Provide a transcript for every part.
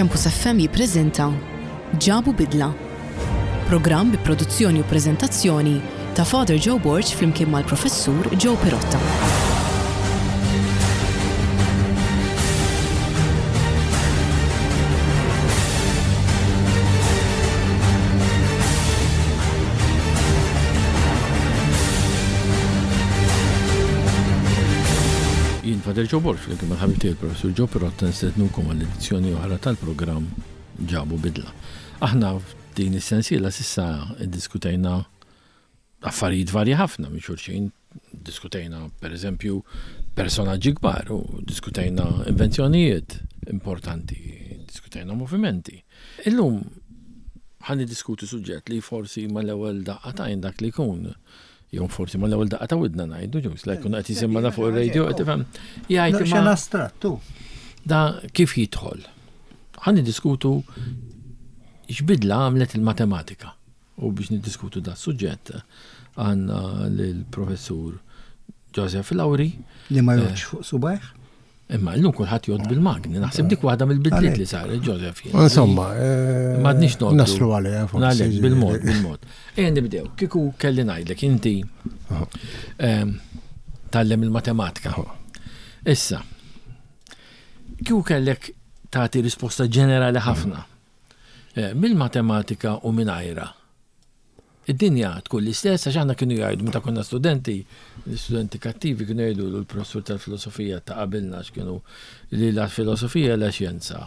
Campus FM jippreżenta Ġabu Bidla. Programm bi produzzjoni u preżentazzjoni ta' Father Joe Borg flimkien mal-Professur Joe Pirotta. Jien Father Joe Borg flimkien mal-ħabib tiegħi l-Professur Joe Pirotta nistednukom għal edizzjoni oħra tal-programm Ġabu Bidla. Aħna f'din is-sensiela s'issa iddiskutejna affarijiet varji ħafna minn xulxin. Diskutejna pereżempju personaġġi kbar u diskutejna invenzjonijiet importanti, diskutejna movimenti. Illum ħa niddiskutu suġġett li forsi mal-ewwel daqqa t'għajn dak li jkun jew forsi mal-ewwel daqqa ta' widna ngħidu ġus la jkun qed jisimgħana fuq ir-radio qed tifhem jgħid imma astrattu. Da kif jidħol? Ħa niddiskutu x'bidla għamlet il-matematika. U biex niddiskutu da suġġett għandna lill-professur Joseph Lauri. Li ma jgħodx fuq subajh. Imma llum kulħadd jgħodd bil-magni, naħseb dik waħda mill-bidliet li saret Joseph. Insomma, eh, m'għadniex noqgħdu. Naslu għaliha forsi. Għalhekk bil-mod, bil-mod. Ejja nibdew, kieku kelli ngħidlek inti ehm, tgħallem il-matematika. Issa, kieku kellek tagħti risposta ġenerali ħafna eh, mill-matematika u mingħajrha. Id-dinja tkun l-istess għax aħna kienu jgħidu meta konna studenti, l-istudenti kattivi kienu jgħidu l-professur tal-filosofija ta' qabilna għax kienu li la filosofija la xjenza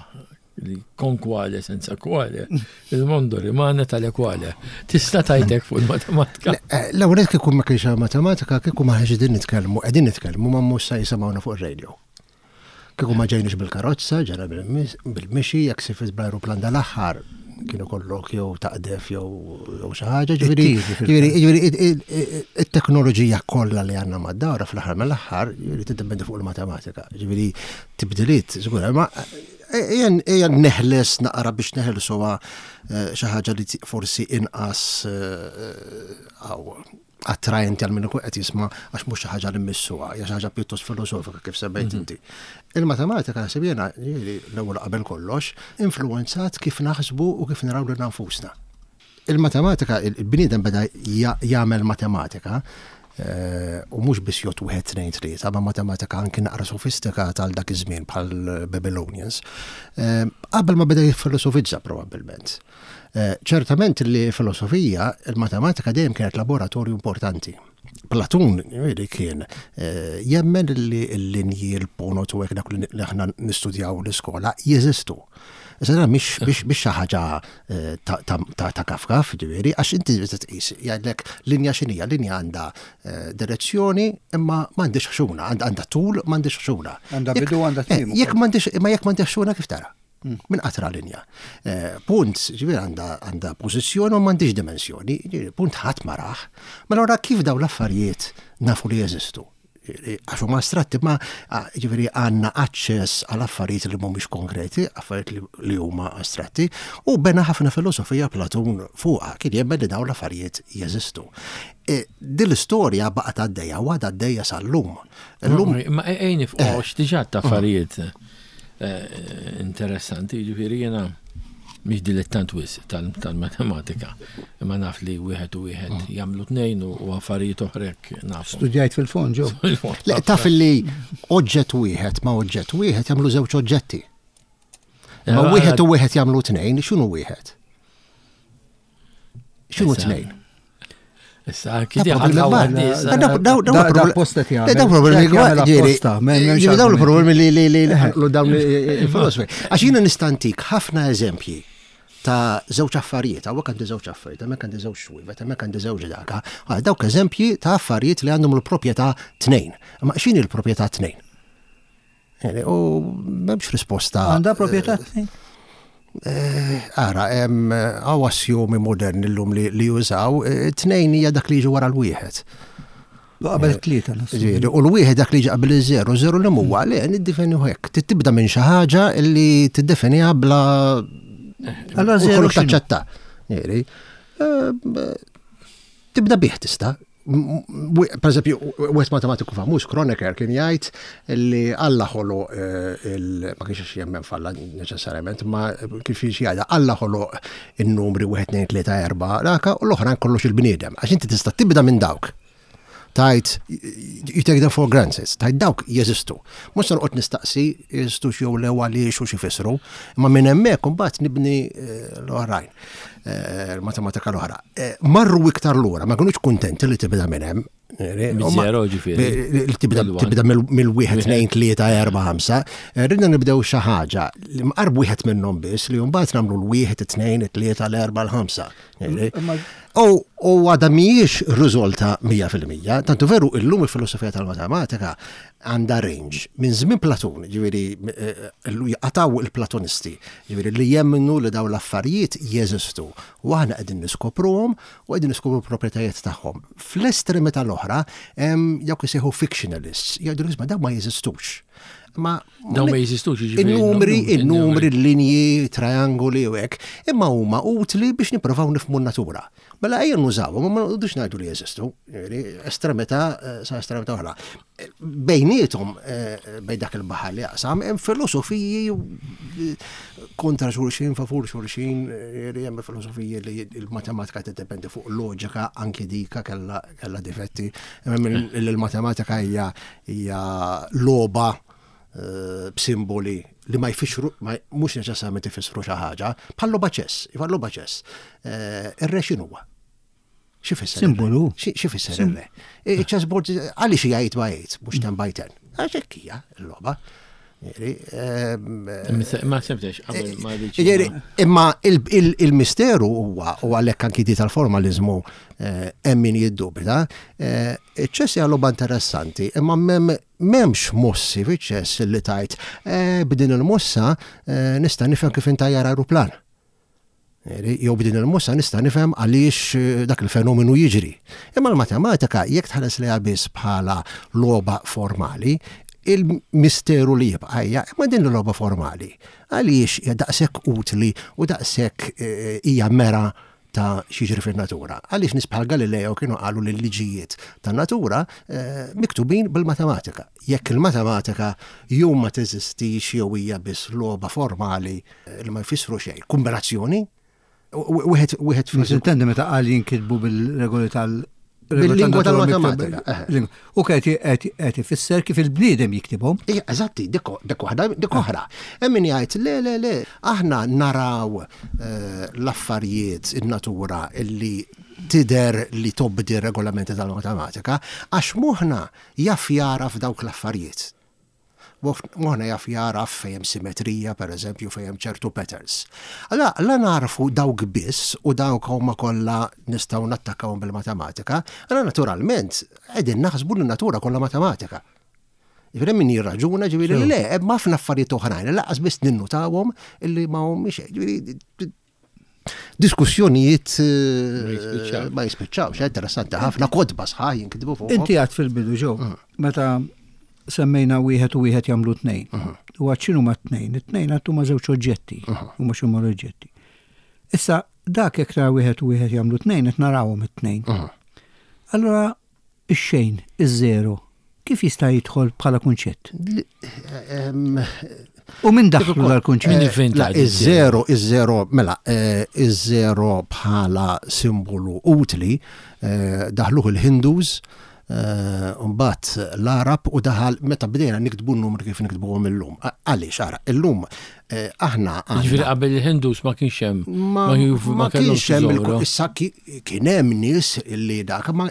li con quale senza quale, il mondo rimane tale quale. Tista' tajtek fuq il-matematika. Eh, l-ewwel kieku ma kienx matematika kieku ma ħax qegħdin nitkellmu, qegħdin nitkellmu ma mhux se jisimgħuna fuq ir-radio. Kieku ma ġejniex bil-karozza, ġejna bil-mixi, jekk sifirt bl-ajruplan dal-aħħar kien ikollok jew taqdef jew xi ħaġa, ġifieri ġifieri it-teknoloġija kollha li għandna mad-dawra fl-aħħar mill-aħħar ġifieri tiddependi fuq il-matematika. Ġifieri tibdiliet żgur, ma ejja neħles naqra biex neħelsuha eh, xi ħaġa li forsi inqas eh, attraenti għal min ikun qed jisma' għax mhux xi ħaġa li mmissuha, hija xi ħaġa pjuttost filosofika kif semmejt mhm. inti. Il-matematika naħseb jiena l-ewwel qabel kollox influwenzat kif naħsbu u kif naraw lil nfusna. Il-matematika, il-bniedem beda jagħmel matematika eh, u mhux biss jgħod wieħed tnejn tlieta, ma matematika anki naqra sofistikata għal dak iż-żmien bħal Babylonians. Eh, qabel ma beda jiffilosofizza probabbilment. Eh, ċertament li filosofija, il-matematika dejjem kienet laboratorju importanti. Platun li kien eh, jemmen li l-linji, l-ponot u hekk dak li aħna nistudjaw l-iskola jeżistu. Issa dan mhix xi ħaġa eh, ta' kafkaf, ġifieri, għax inti tqis jgħidlek linja x'inhija, linja għandha direzzjoni imma m'għandix ħxuna, għandha tul m'għandix ħxuna. Għandha bidu għandha tmiem. Jekk m'għandix imma jekk m'għandix ħxuna kif tara? Mm. Min qatra linja. Eh, punt, ġifieri għandha pożizzjoni u m'għandix dimensjoni, punt ħadd ma raħ. Mela ora kif dawn l-affarijiet nafu li jeżistu? Għax huma astratti ma ġifieri għandna aċċess għal affarijiet li mhumiex konkreti, affarijiet li huma astratti, u bena ħafna filosofija Platun fuqha kien jemmen li dawn l-affarijiet jeżistu. E, din l-istorja baqgħet għaddejja u għadha għaddejja sal-lum. Illum. Ma ejni fuq eh. diġà ta' affarijiet eh, interessanti, jiġifieri jiena mhix dilettant wisq tal-matematika, imma naf li wieħed u wieħed mm. jagħmlu tnejn u affarijiet oħrek naf. Studjajt fil-fond ġew. Le taf li oġġett wieħed ma' oġġett wieħed jagħmlu żewġ oġġetti. Ma wieħed u wieħed jagħmlu tnejn, x'inhu wieħed? X'inhu tnejn? Issa, Daw problemi Daw problemi li li li li dawn il-filosofi. Għax jiena nistantik ħafna eżempji ta' żewġ affarijiet, hawnhekk għandi żewġ affarijiet, hemmhekk għandi żewġ xwivet, hemmhekk għandi żewġ daka. Dawk eżempji ta' affarijiet li għandhom il-proprjetà tnejn. Ma x'inhi l-proprjetà tnejn? U m'hemmx risposta. Għandha proprjetà tnejn? Eh, ara, għaw assjomi moderni l-lum li jużaw, eh, tnejn hija dak li jiġi wara l-wieħed. Qabel eh, tlieta. U l-wieħed dak li jiġi qabel iż-żero, żero li huwa li niddefini hekk. Tibda minn xi ħaġa li tiddefiniha bla. Allora żero taċċetta. Tibda bih tista'. Per eżempju, wieħed matematiku famuż, Kronecker, kien jgħid li Alla ħoloq ma kienx jemmen f'Alla neċessarjament, ma kif jgħidha Alla ħoloq in-numri 1, 2, 3, 4, daka u l-oħrajn kollox il-bniedem. Għax inti tista' tibda minn dawk. Tajt, you take them for granted, tajt dawk jeżistu. Mhux se noqgħod nistaqsi jeżistu jew le għaliex u x'ifissru, imma minn hemmhekk imbagħad nibni eh, l-oħrajn, eh, l-matematika l-oħra. Eh, marru iktar lura, ma kinux kuntenti li tibda minn hemm. Zero ġifieri. Tibda mill-wieħed, tnejn, tlieta, erba' ħamsa. Ridna nibdew xi ħaġa li mqarb wieħed minnhom biss li mbagħad nagħmlu l-wieħed, it-tnejn, it-tlieta, l-erba' l-ħamsa. U għadha mhijiex riżolta 100%, tantu veru illum il-filosofija tal-matematika għandha range minn żmien Platun, ġifieri eh, jqataw il-Platonisti, ġifieri li jemmnu li dawn l-affarijiet jeżistu u aħna qegħdin niskopruhom u qegħdin niskopru l-proprjetajiet tagħhom. Fl-estremità l-oħra hemm dawk isejħu fictionalists, jgħidu isma' dawn ma jeżistux. Ma Dawn ma jeżistux jiġifieri. Il-numri, il-numri, l-linji, triangoli u hekk, imma huma utli biex nippruvaw nifhmu n-natura. Mela ejja nużawhom, ma noqogħdux ngħidu li jeżistu, estremità eh, sa estremità oħra. Bejniethom eh, bejn dak il-baħar li jaqsam hemm filosofiji eh, kontra xulxin, favur xulxin, hemm filosofiji li l-matematika tiddependi fuq loġika anki dika kellha kellha difetti. Hemm il-matematika hija hija logħba eh, b'simboli li ma jfissru, mhux neċessarjament ifissru xi ħaġa, bħal logħba ċess, iva logħba ċess. Eh, ir-re x'inhuwa? Xi fisser? Simbolu. Xi fisser ir-re? Chessboard għaliex hija 8 by 8, mhux 10 by 10. Għax hekk hija l-logħba. Ma sebtex, qabel ma Imma il-misteru huwa u għalhekk anki di tal-formalizmu eh, hemm min jiddubita, eh, iċ-ċess hija logħba interessanti, imma m'hemmx mossi fiċ-ċess li tajt eh, b'din il-mossa nista' nifhem kif intajjar aeroplan. Jew b'din il-mossa nista' nifhem għaliex eh, dak il-fenomenu jiġri. Imma l-matematika jekk tħares lejha biss bħala logħba formali, il-misteru li jibqa' hija imma din il-logħba formali għaliex hija daqshekk utli u daqshekk eh, hija mera ta' x'jiġri fin-natura. Għaliex nies bħal Galileo kienu qalu li l-liġijiet tan-natura eh, miktubin bil-matematika. Jekk il-matematika jew ma teżistix jew hija biss logħba formali li ma jfissru xejn. Kombinazzjoni, wieħed wieħed Ma intendi meta qal jinkitbu bil-regoli tal- Bil-lingwa tal-matematika. U qed ifisser kif il-bniedem jiktibhom. Ija, eżatti, dik waħda, dik oħra. Hemm min jgħid le le le, aħna naraw eh, l-affarijiet in-natura illi tidher li tobdi r-regolamenti tal-matematika għax moħħna jaf jara f'dawk l-affarijiet. Moħħna jaf jagħraf fejn hemm simetrija, per eżempju, fejn hemm ċertu patterns. Allura, la nagħrfu dawk biss u dawk huma kollha nistgħu nattakkawhom bil-matematika, allura naturalment qegħdin naħsbu li n-natura kollha matematika. Ġifieri min jirraġuna ġifieri li le, hemm ħafna affarijiet oħrajn li lanqas biss ninnutawhom illi ma humiex. Ġifieri diskussjonijiet eh, ma jispiċċawx, eh, interessanti ħafna kodba sħaħ jinkitbu fuq. Inti għad fil-bidu ġew, mm. meta semmejna wieħed u wieħed jagħmlu tnejn. Mm. U għad x'inhu ma tnejn? It-tnejn għad huma żewġ oġġetti, mm. huma x'huma l-oġġetti. Issa dak jekk tara wieħed u wieħed jagħmlu tnejn qed narawhom it-tnejn. Allura Ix-xejn, iż-żero, kif jista' jidħol bħala kunċett? U min daħlu dal-kunċett? Min ivvinta iż-żero, iż-żero, mela, eh, iż-żero bħala simbolu utli eh, daħluh il-Hindus, eh, mbagħad l-Arab u daħal meta bdejna niktbu n-numri kif niktbuhom illum. Għaliex ara, illum aħna Ġifieri qabel il-Hindus ma kienx hemm. Ma kienx hemm issa kien hemm nies li dak ma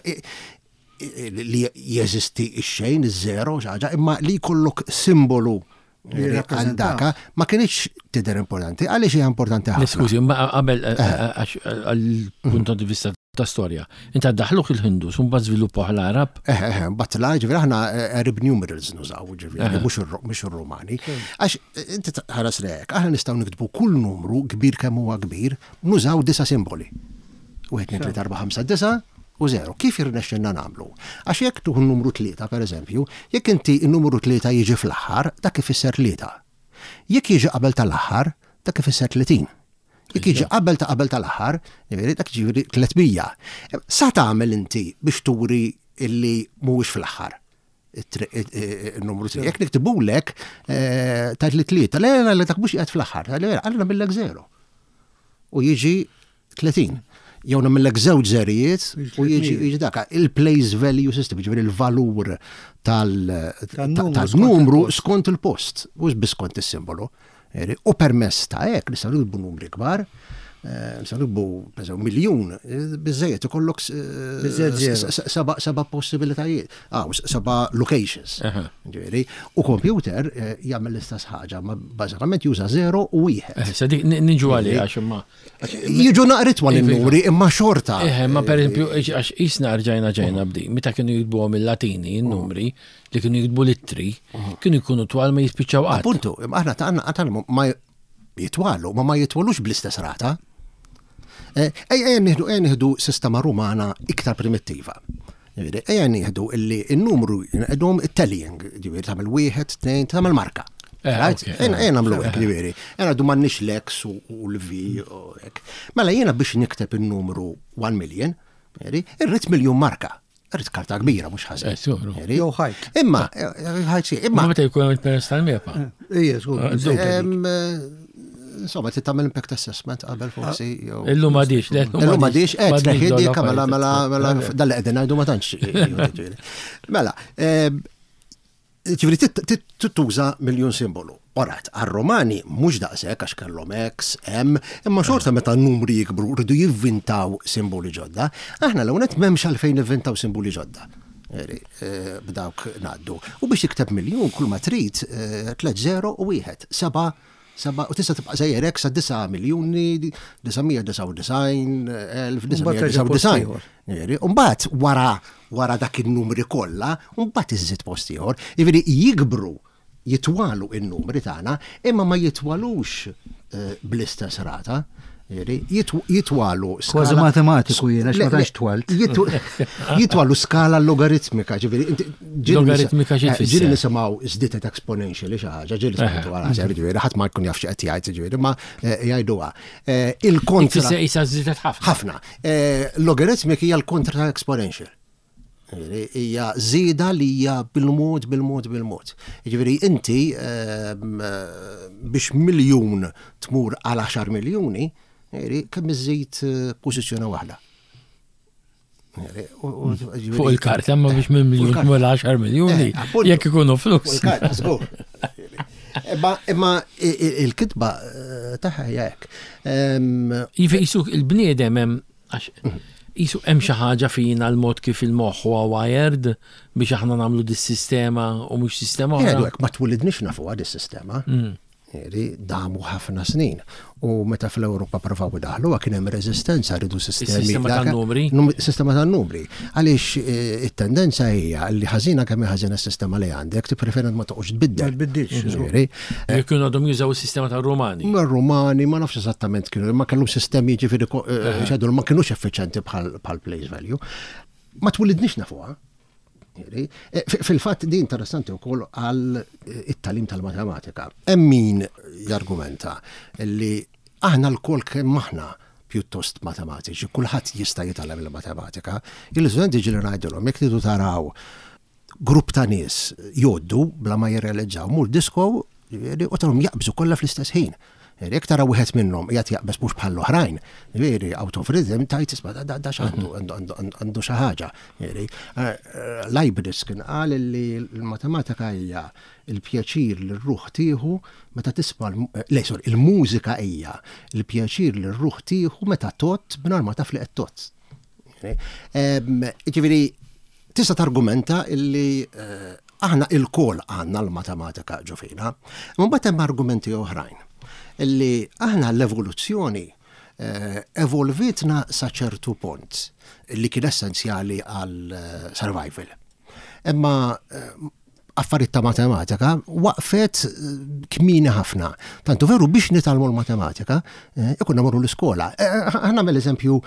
li jeżisti x-xejn, iż-żero, xi imma li jkollok simbolu għal daka ma kienx tidher importanti. Għaliex hija importanti ħafna? Skużi, ma qabel eh, eh, għal punt di vista ta' storja. Inta daħluh il-Hindus, un mbagħad żviluppaw l-Arab. Eh, eh, mbagħad l ġifieri aħna eh, Arab numerals nużaw, ġifieri mhux ir-Rumani. Għax inti ħares lek, aħna nistgħu niktbu kull numru kbir kemm huwa kbir, nużaw disa' simboli. 1, 2, 3, 4, 5, 9 u 0. Kif irnexxilna nagħmlu? Għax jekk tuħu n-numru 3, per eżempju, jekk inti n-numru 3 jiġi fl-aħħar, dak ifisser 3. Jekk jiġi qabel tal-aħħar, dak ifisser 30. Jekk jiġi qabel ta' qabel tal-aħħar, jiġifieri dak jiġifieri 300. Sa tagħmel inti biex turi illi mhuwiex fl-aħħar il-numru 3. Jekk niktibulek eh, tajt li tlieta, le le le dak mhux qiegħed fl-aħħar, għalina nagħmillek zero. U jiġi 30. Jew nagħmillek żewġ żerijiet u jiġi jiġi dak il-place value system, jiġifieri il-valur tal-numru skont il-post, mhux biss skont is-simbolu. U permess ta' hekk nistgħu nikbu numri kbar, eh, nistgħu nikbu pereżempju miljun, eh, biżejjed ikollok eh, seba' possibilitajiet, ah, seba' locations. Ġifieri, u computer jagħmel l-istess ħaġa, ma bażikament juża 0 u wieħed. Sa dik niġu għalih għax imma. Jiġu naqrit twal iva, in-numri iva. imma xorta. Eħe, ma per eżempju, għax isna rġajna ġejna bdi, meta kienu jitbuhom il-Latini, in-numri, li kienu jiktbu l-ittri, kienu jkunu twal ma jispiċċaw qatt. Appuntu, aħna ta' għandna għandna ma jitwalu, ma ma jitwalux bl-istess rata. Eh, ejja nieħdu ejja nieħdu sistema Rumana iktar primittiva. Ejja nieħdu illi n-numru nqedhom it-tallying, ġifieri tagħmel wieħed, tnejn, tagħmel marka. Eh, ejja nagħmlu hekk, ġifieri. Ejja ngħidu m'għandniex l-X u l-V u hekk. Mela jiena biex nikteb in-numru 1 million, irrid miljun marka. Rrid karta kbira mhux ħażin. Eh, Jew ħajt. Imma, eh, ħajt xi, imma. Meta jkun hemm il-peress tal-mepa. Ija, żgur. Insomma, trid tagħmel impact assessment qabel forsi. Ah. Illum m'għadix, le. Illum m'għadix, qed tneħħi mela mela mela dan li qegħdin ngħidu ma tantx. Mela, Ġifieri tuża miljun simbolu. Orat, għar-Romani mhux daqshekk għax kellhom X, M, imma xorta meta n-numri jikbru rridu jivvintaw simboli ġodda. Aħna l nett m'hemmx għalfejn nivvintaw simboli ġodda. Eh, b'dawk ngħaddu. U biex tikteb miljun kull ma trid 3 eh, u 1, 7 7 u tista' tibqa' sejjer hekk sa 9 miljuni 999 elf 999. Jiġifieri, u mbagħad wara wara dak in-numri kollha, mbagħad iżżid post ieħor. Jiġifieri jikbru jitwalu in-numri tagħna, imma ma jitwalux eh, bl-istess rata. Jitwalu skala. Kważi matematiku jiena għax ma tantx twalt. Jitwalu skala logaritmika, ġifieri. Logaritmika xi tfisser? Ġieli nisimgħu żdietet exponentially xi ħaġa, ġieli smajtu għal ġifieri, ħadd ma jkun jaf xi qed jgħid, ġifieri, ma eh, jgħiduha. Eh, il-kontra. Isa żdietet ħafna. Ħafna. Eh, logaritmik hija l-kontra ta' exponential. Hija żieda li hija bil-mod, bil-mod, bil-mod. Jiġifieri inti ehm, biex miljun tmur għal 10 miljuni, kemm iżid eh, pożizzjoni waħda. Fuq il-karta, ma biex minn miljun tmur 10 miljuni, eh, jekk ikunu flus. Imma il-kitba eh, tagħha hija hekk. Ehm, Jifi il-bniedem hemm Għax qisu hemm xi ħaġa fina l-mod kif il-moħħ huwa wired biex aħna nagħmlu dis-sistema u mhux sistema oħra. Jgħidu hekk ma twilidniex nafuha dis-sistema. Mm. Damu ħafna snin. U meta fl-Ewropa provaw idaħluha kien hemm reżistenza rridu sistemi. Sistema tan-numri. Sistema tan-numri. Għaliex eh, it-tendenza hija li ħażina kemm ħażina s-sistema li għandek, tippreferi ma toqgħodx tbiddel. Ma tbiddilx. Ġifieri. Jekk kienu għadhom jużaw is-sistema tar-Rumani. Ma Rumani ma nafx eżattament kienu, ma kellhom sistemi ġifieri eh, xedu ma kinux effiċenti bħal place value. Ma twilidniex nafuha. Eh, fil-fatt din interessanti wkoll għal eh, it-talim tal-matematika. Hemm min jargumenta li aħna l-kol kemm aħna pjuttost matematiċi, kulħadd jista' jitgħallem il-matematika. Il-istudenti ġieli ngħidilhom jekk tridu taraw grupp ta' nies jgħoddu bla ma jirrealizzaw, mur disco ġifieri u tarhom jaqbżu kollha fl-istess ħin. Jekk tara wieħed minnhom qiegħed jaqbeż mhux bħall-oħrajn, ġifieri out of rhythm tgħid isma' da x'għandu għandu xi ħaġa. Eh, Leibniz kien qal li l-matematika hija l-pjaċir li r-ruħ tieħu meta tisma' le sorry, il-mużika hija l-pjaċir li r-ruħ tieħu meta tgħodd mingħajr ma taf li qed tgħodd. Ġifieri Tista' targumenta illi aħna ilkoll għandna l-matematika ġo fina. Imma mbagħad hemm argumenti oħrajn illi aħna l-evoluzzjoni evolvietna sa ċertu punt li kien essenzjali għal survival. Imma affarijiet ta' matematika waqfet kmieni ħafna. Tantu veru biex nitgħallmu l-matematika ikunna morru l-iskola. Ħa nagħmel eżempju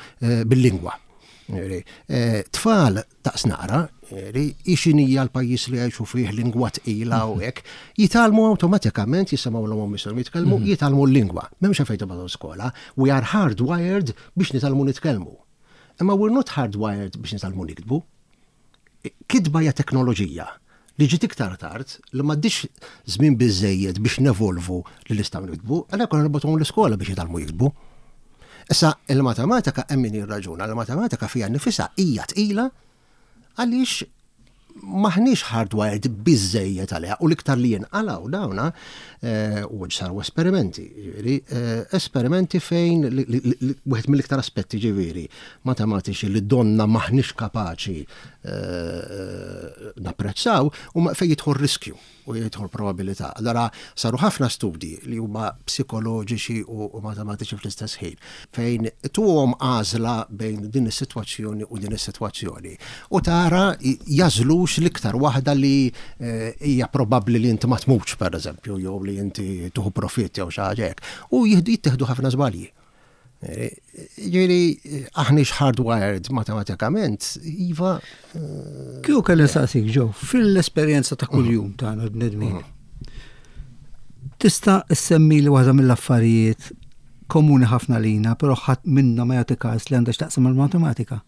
bil-lingwa. Eh, tfal daqs naqra, X'inhija l-pajjiż li jgħixu fih lingwa tqila u hekk, jitgħallmu awtomatikament jisimgħu l-omm missierhom jitkellmu, jitgħallmu l-lingwa. M'hemmx għalfejn tibgħathom skola. We are hardwired biex nitgħallmu nitkellmu. Imma we're not hardwired biex nitgħallmu niktbu. Kitba hija teknoloġija li ġiet iktar tard li m'għaddix żmien biżejjed biex nevolvu li nistgħu niktbu, għalhekk konna nibgħatuhom l-iskola biex jitgħallmu jiktbu. Issa il-matematika hemm min jirraġuna, il-matematika fiha nnifisha hija tqila għaliex maħniex hardwired biżejjed għaliha u l-iktar li jinqalgħu dawna eh, u saru esperimenti, ġifieri, eh, esperimenti fejn wieħed mill-iktar aspetti ġifieri matematiċi li donna maħniex kapaċi eh, napprezzaw u fejn jidħol riskju u jidħol probabilità. Allora saru ħafna studji li huma psikoloġiċi u matematiċi fl-istess ħin fejn tuhom għażla bejn din is-sitwazzjoni u din is-sitwazzjoni u tara jażlux l-iktar waħda li eh, hija probabbli li inti ma tmutx pereżempju jew li inti tuħu profitt jew xi ħaġa hekk. U jittieħdu ħafna żbalji. Ġifieri aħniex hardwired matematikament, iva. Eh, Kieku kelli nsaqsik ġew, fil-esperjenza ta' kuljum tagħna bnedmin. Tista' ssemmi li waħda mill-affarijiet komuni ħafna lina, però ħadd minna ma jagħti każ li għandha x'taqsam mal-matematika.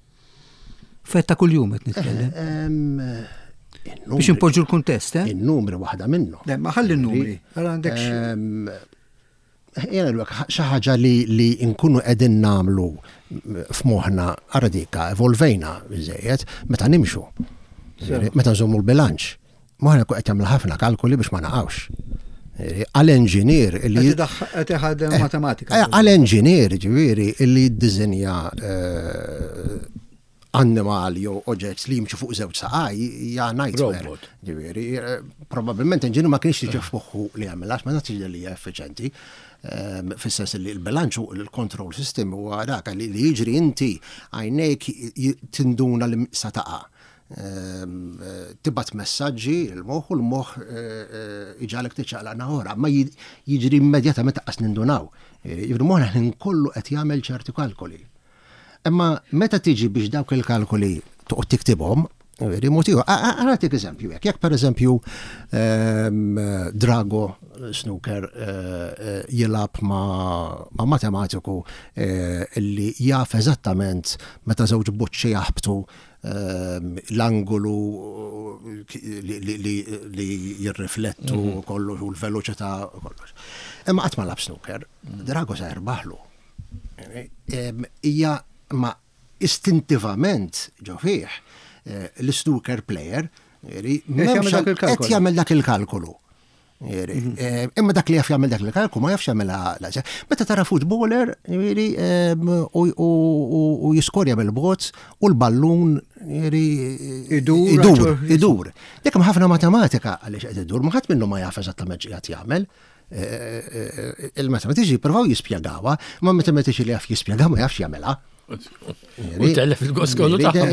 Fetta kuljum qed nitkellem. Eh, Biex impoġġu l-kuntest, eh? In-numri waħda minnhom. Le, ma ħalli n-numri. Għal għandek Jena l xi ħaġa li li nkunu qegħdin nagħmlu f'moħħna ara dika evolvejna biżejjed meta nimxu. Meta nżommu l-bilanċ. Moħħna jkun qed jagħmel ħafna kalkoli biex ma naqgħux. Għal enġinier li. Qed iħaddem eh, matematika. Eh, għal enġinier ġifieri li jiddiżinja eh, annimal jew oġġett li jimxu fuq żewġ saqaj hija nightmare. Ġifieri, eh, probabbilment enġinu ma kienx tiġi f'moħħu li jagħmel għax ma nafx li hija effiċenti. Ehm, fis-sens li l-bilanċ u l-control system huwa dak li jiġri inti għajnejk tinduna li sa taqa'. Ehm, tibgħat messaġġi l-moħħ u l-moħħ eh, eh, iġalek tiċċaqlaq naħora, ma jiġri immedjatament taqqas nindunaw. Jiġri moħħna ħin kollu qed jagħmel ċerti kalkoli. Imma meta tiġi biex dawk il-kalkoli toqgħod tiktibhom, veri mod ieħor. Nagħtik eżempju hekk. Jekk pereżempju ehm, Drago Snooker eh, eh, jilgħab ma' matematiku eh, li jaf eżattament meta żewġ boċċi jaħbtu ehm, l-angolu li jirriflettu mhm. kollox u l-veloċità kollox. Imma qatt ma lab snooker, Drago se jirbaħlu. Hija ma istintivament ġo fih eh, l-snooker player qed jagħmel dak il-kalkolu. Mhm. Eh, imma dak li jaf jagħmel dak il-kalkolu ma jafx jagħmel Meta tara footballer u jiskorja bil-bot u l-ballun idur, idur. Dik hemm ħafna matematika għaliex qed idur, ma ħadd minnu ma jaf eżattament x'qiegħed jagħmel. Il-matematiċi jippruvaw jispjegawha, ma matematiċi li jaf jispjega ma jafx jagħmilha. U tellef il-gost kollu tagħhom.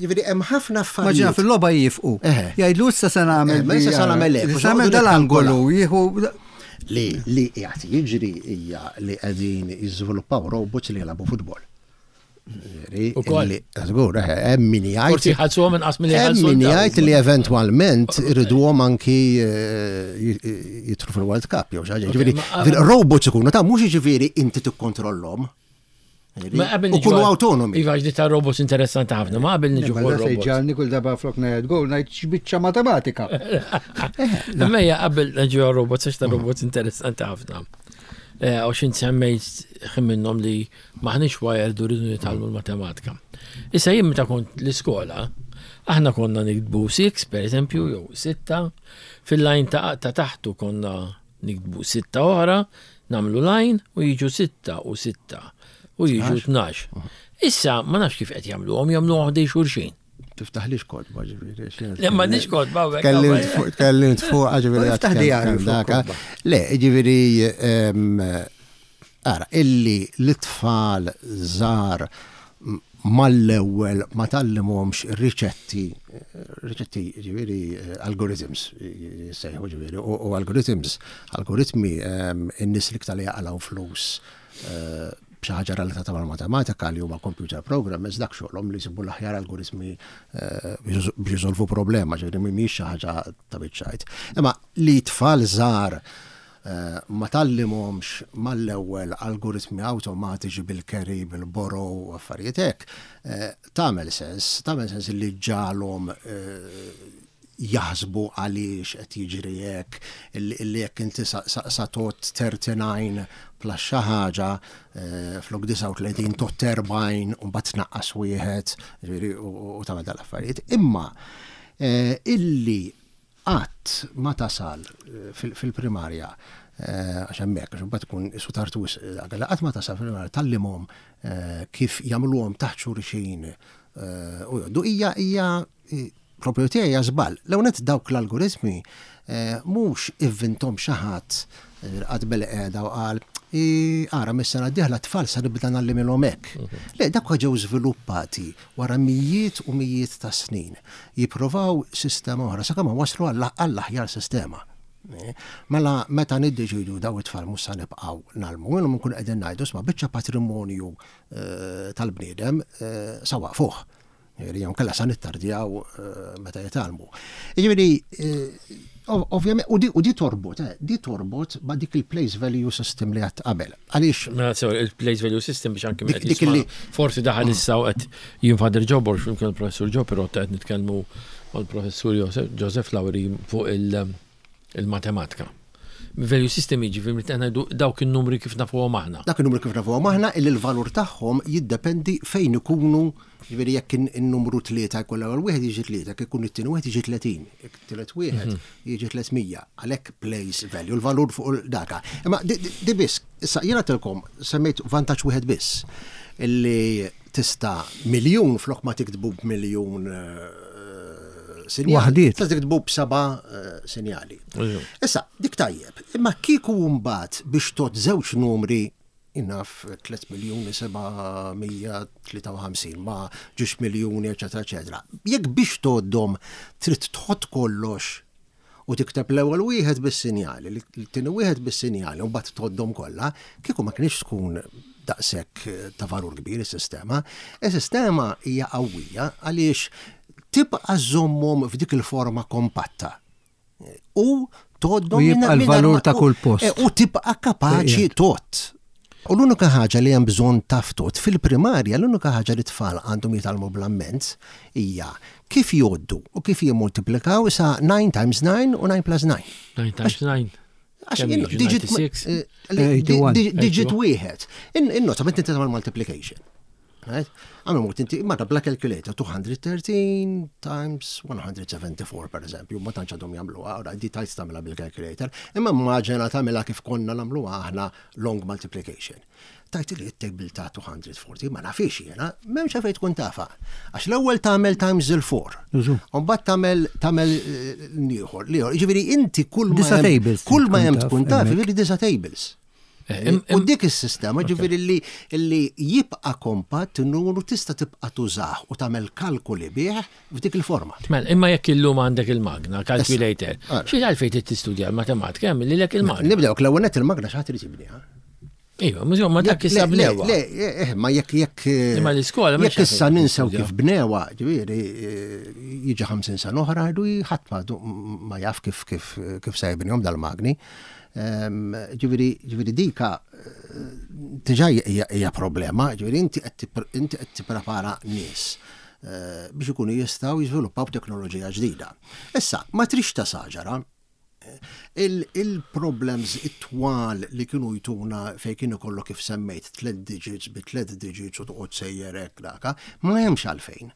Ġifieri hemm ħafna affarijiet. Maġina fil-logħba jifqu. Jgħidlu issa se nagħmel. Issa se nagħmel hekk. Se nagħmel dal-angolu jieħu li li qiegħed jiġri hija li qegħdin jiżviluppaw robots li jilagħbu futbol. Ukoll. Żgur, eh, hemm min jgħid. Forsi ħallsuhom inqas milli ħallsu. Hemm min jgħid li eventwalment iriduhom anki eh, jitru fil-World Cup jew xi ħaġa. Ġifieri robots ikunu ta' mhux jiġifieri inti tikkontrollhom. U kunu autonomi. Iva, ġdi ta' robots interessanti ħafna, ma qabel niġu fuq robots. Ġalni kull darba flok ngħid gol ngħid x'biċċa matematika. Mejja qabel niġu robots għax ta' robots interessanti ħafna. Eh, u xint semmejt ħin minnhom li M'aħniex wired u rridu nitgħallmu l-matematika. Issa jien meta kont l-iskola, aħna konna niktbu 6 per eżempju, jew 6, fil-lajn ta' taħtu konna niktbu 6 oħra, nagħmlu lajn u jiġu 6 u 6 u jiġu 12. Issa ma nafx kif qed jagħmluhom, jagħmluhom ħdej xulxin. Tiftaħlix kodba ġifieri. Le m'għandix kodba hawnhekk. Tkellimt fuq ġifieri. Tiftaħ djarju fuq. Le, ġifieri ara illi l-tfal żgħar mal-ewwel ma tgħallimhomx riċetti, riċetti ġifieri algorithms jissejħu ġifieri u algorithms, algoritmi in-nies l-iktar li jaqalgħu flus. b'xi ħaġa relatata mal-matematika li huma computer programmers dak xogħolhom li jsibu l-aħjar algoritmi eh, biex jisolvu problema, ġifieri mhijiex xi ħaġa ta' biċċajt. Imma li tfal żgħar eh, ma tgħallimhomx mal-ewwel algoritmi awtomatiċi bil-carry, bil-borrow u affarijiet hekk, eh, tagħmel sens, tagħmel sens li ġalhom jaħsbu għaliex qed jiġri hekk, illi jekk inti sa tgħodd 39 plus xi ħaġa, eh, flok 39 tgħodd 40 u mbagħad tnaqqas wieħed, ġifieri u tagħmel dal-affarijiet. Imma eh, illi qatt ma tasal eh, fil-primarja għax hemmhekk għax imbagħad tkun isu tard wisq, qatt ma tasal fil-primarja tgħallimhom kif jagħmluhom taħt xulxin u jgħoddu hija hija Propju tiegħi hija żball. L-ewwel nett dawk l-algoritmi mhux ivvinthom xi ħadd qagħad bil-qiegħda u qal ara mis-sena d-dieħla t-tfal se nibda ngħallimilhom hekk. Le, dawk ġew żviluppati wara mijiet u mijiet ta' snin jipprovaw sistema oħra sakemm waslu għall-aħjar sistema. Mela meta niddeċidu daw it-tfal mhux se nibqgħu ngħallmu minnhom nkunu qegħdin ngħidu isma' biċċa patrimonju tal-bniedem sa waqfuh. Jiġifieri jew inkella sa nittardjaw meta jitgħallmu. Jiġifieri ovvjament u di torbot, di torbot ma' dik il-place value system li għadt qabel. Għaliex. Mela sew il-place value system biex anke dik li forsi daħal issa u qed jien Father Joe Borg flimkien il-Professur Joe Pirotta qed nitkellmu mal-Professur Joseph Lauri fuq il-matematika. Value system jiġifieri meta ngħidu dawk in-numri kif nafuhom aħna. Dak in-numri kif nafuhom aħna illi l-valur tagħhom jiddependi fejn ikunu, jiġifieri jekk in-numru tlieta jkun l-ewwel wieħed jiġi tlieta, jekk ikun it-tieni wieħed jiġi 30, jekk it-tielet wieħed jiġi 300. Għalhekk place value, l-valur fuq daka. Imma di biss, issa jiena għedtilkom semmejt vantaġġ wieħed biss illi tista' miljun flok ma tiktbu b'miljun sinjal. Waħdiet. Tista' tiktbu b'seba' sinjali. Issa, dik tajjeb, imma kieku mbagħad biex tgħodd żewġ numri naf 3 miljuni 753 ma' ġiex miljuni, eċetera, eċetera. Jekk biex tgħoddhom trid tħodd kollox u tikteb l-ewwel wieħed bis-sinjali, l-tieni wieħed bis-sinjali u mbagħad tgħoddhom kollha, kieku ma kienx tkun daqshekk ta' valur kbir is-sistema. Is-sistema hija qawwija għaliex tibqa' żżommhom f'dik il-forma kompatta. U tgħoddhom U jibqa' l-valur ta' kull post. Eh, u tibqa' kapaċi tgħodd. U l-unika ħaġa li hemm bżonn taf tgħodd fil-primarja, l-unika ħaġa li tfal għandhom jitgħallmu bl-ammens hija kif jgħoddu u kif jimmultiplikaw sa 9 times 9 u 9 plus 9. 9 times 9. Għax digit eh, digit wieħed. In-nota meta inti tagħmel multiplication. Right? Għamil mut inti marra bla calculator 213 times 174 per eżempju, ma tantx għadhom jagħmluha, ora di tajt tagħmilha bil-calculator, imma immaġina tagħmilha kif konna nagħmluha aħna long multiplication. Tajt li t-table ta' 240 ma nafix jiena, m'hemmx għalfejn tkun tafa. Għax l-ewwel tagħmel times il-4. Mbagħad tagħmel tagħmel eh, ieħor, l-ieħor. Jiġifieri inti kull ma kull ma hemm tkun taf, jiġifieri disa tables. Eh, u dik is-sistema ġifieri li li jibqa' kompatt numru tista' tibqa' tużah u tagħmel kalkuli bih f'dik il-forma. Mela, imma jekk illum għandek il-magna, calculator, xi għalfejn trid tistudja l-matematika hemm lilek il-magna. Nibdew l-ewwel nett il-magna xi ħadd irid jibniha. Iva, mhux ma dak issa bnewa. Le, eh, ma jekk jekk. Imma l-iskola Jekk issa ninsew kif bnewa, ġifieri eh, jiġi 50 sena oħra jdu ħadd ma jaf kif kif kif se jibnihom dal-magni. Ehm, ġifieri ġifieri dika eh, diġà hija problema, ġifieri inti qed tipprepara nies biex ikunu jistgħu jiżviluppaw teknoloġija ġdida. Issa, ma trix ta' saġara, Il-problems it-twal li kienu jtuna fejn kien ikollok kif semmejt tliet digits bi tliet digits u toqgħod sejjer hekk daka, ma hemmx għalfejn.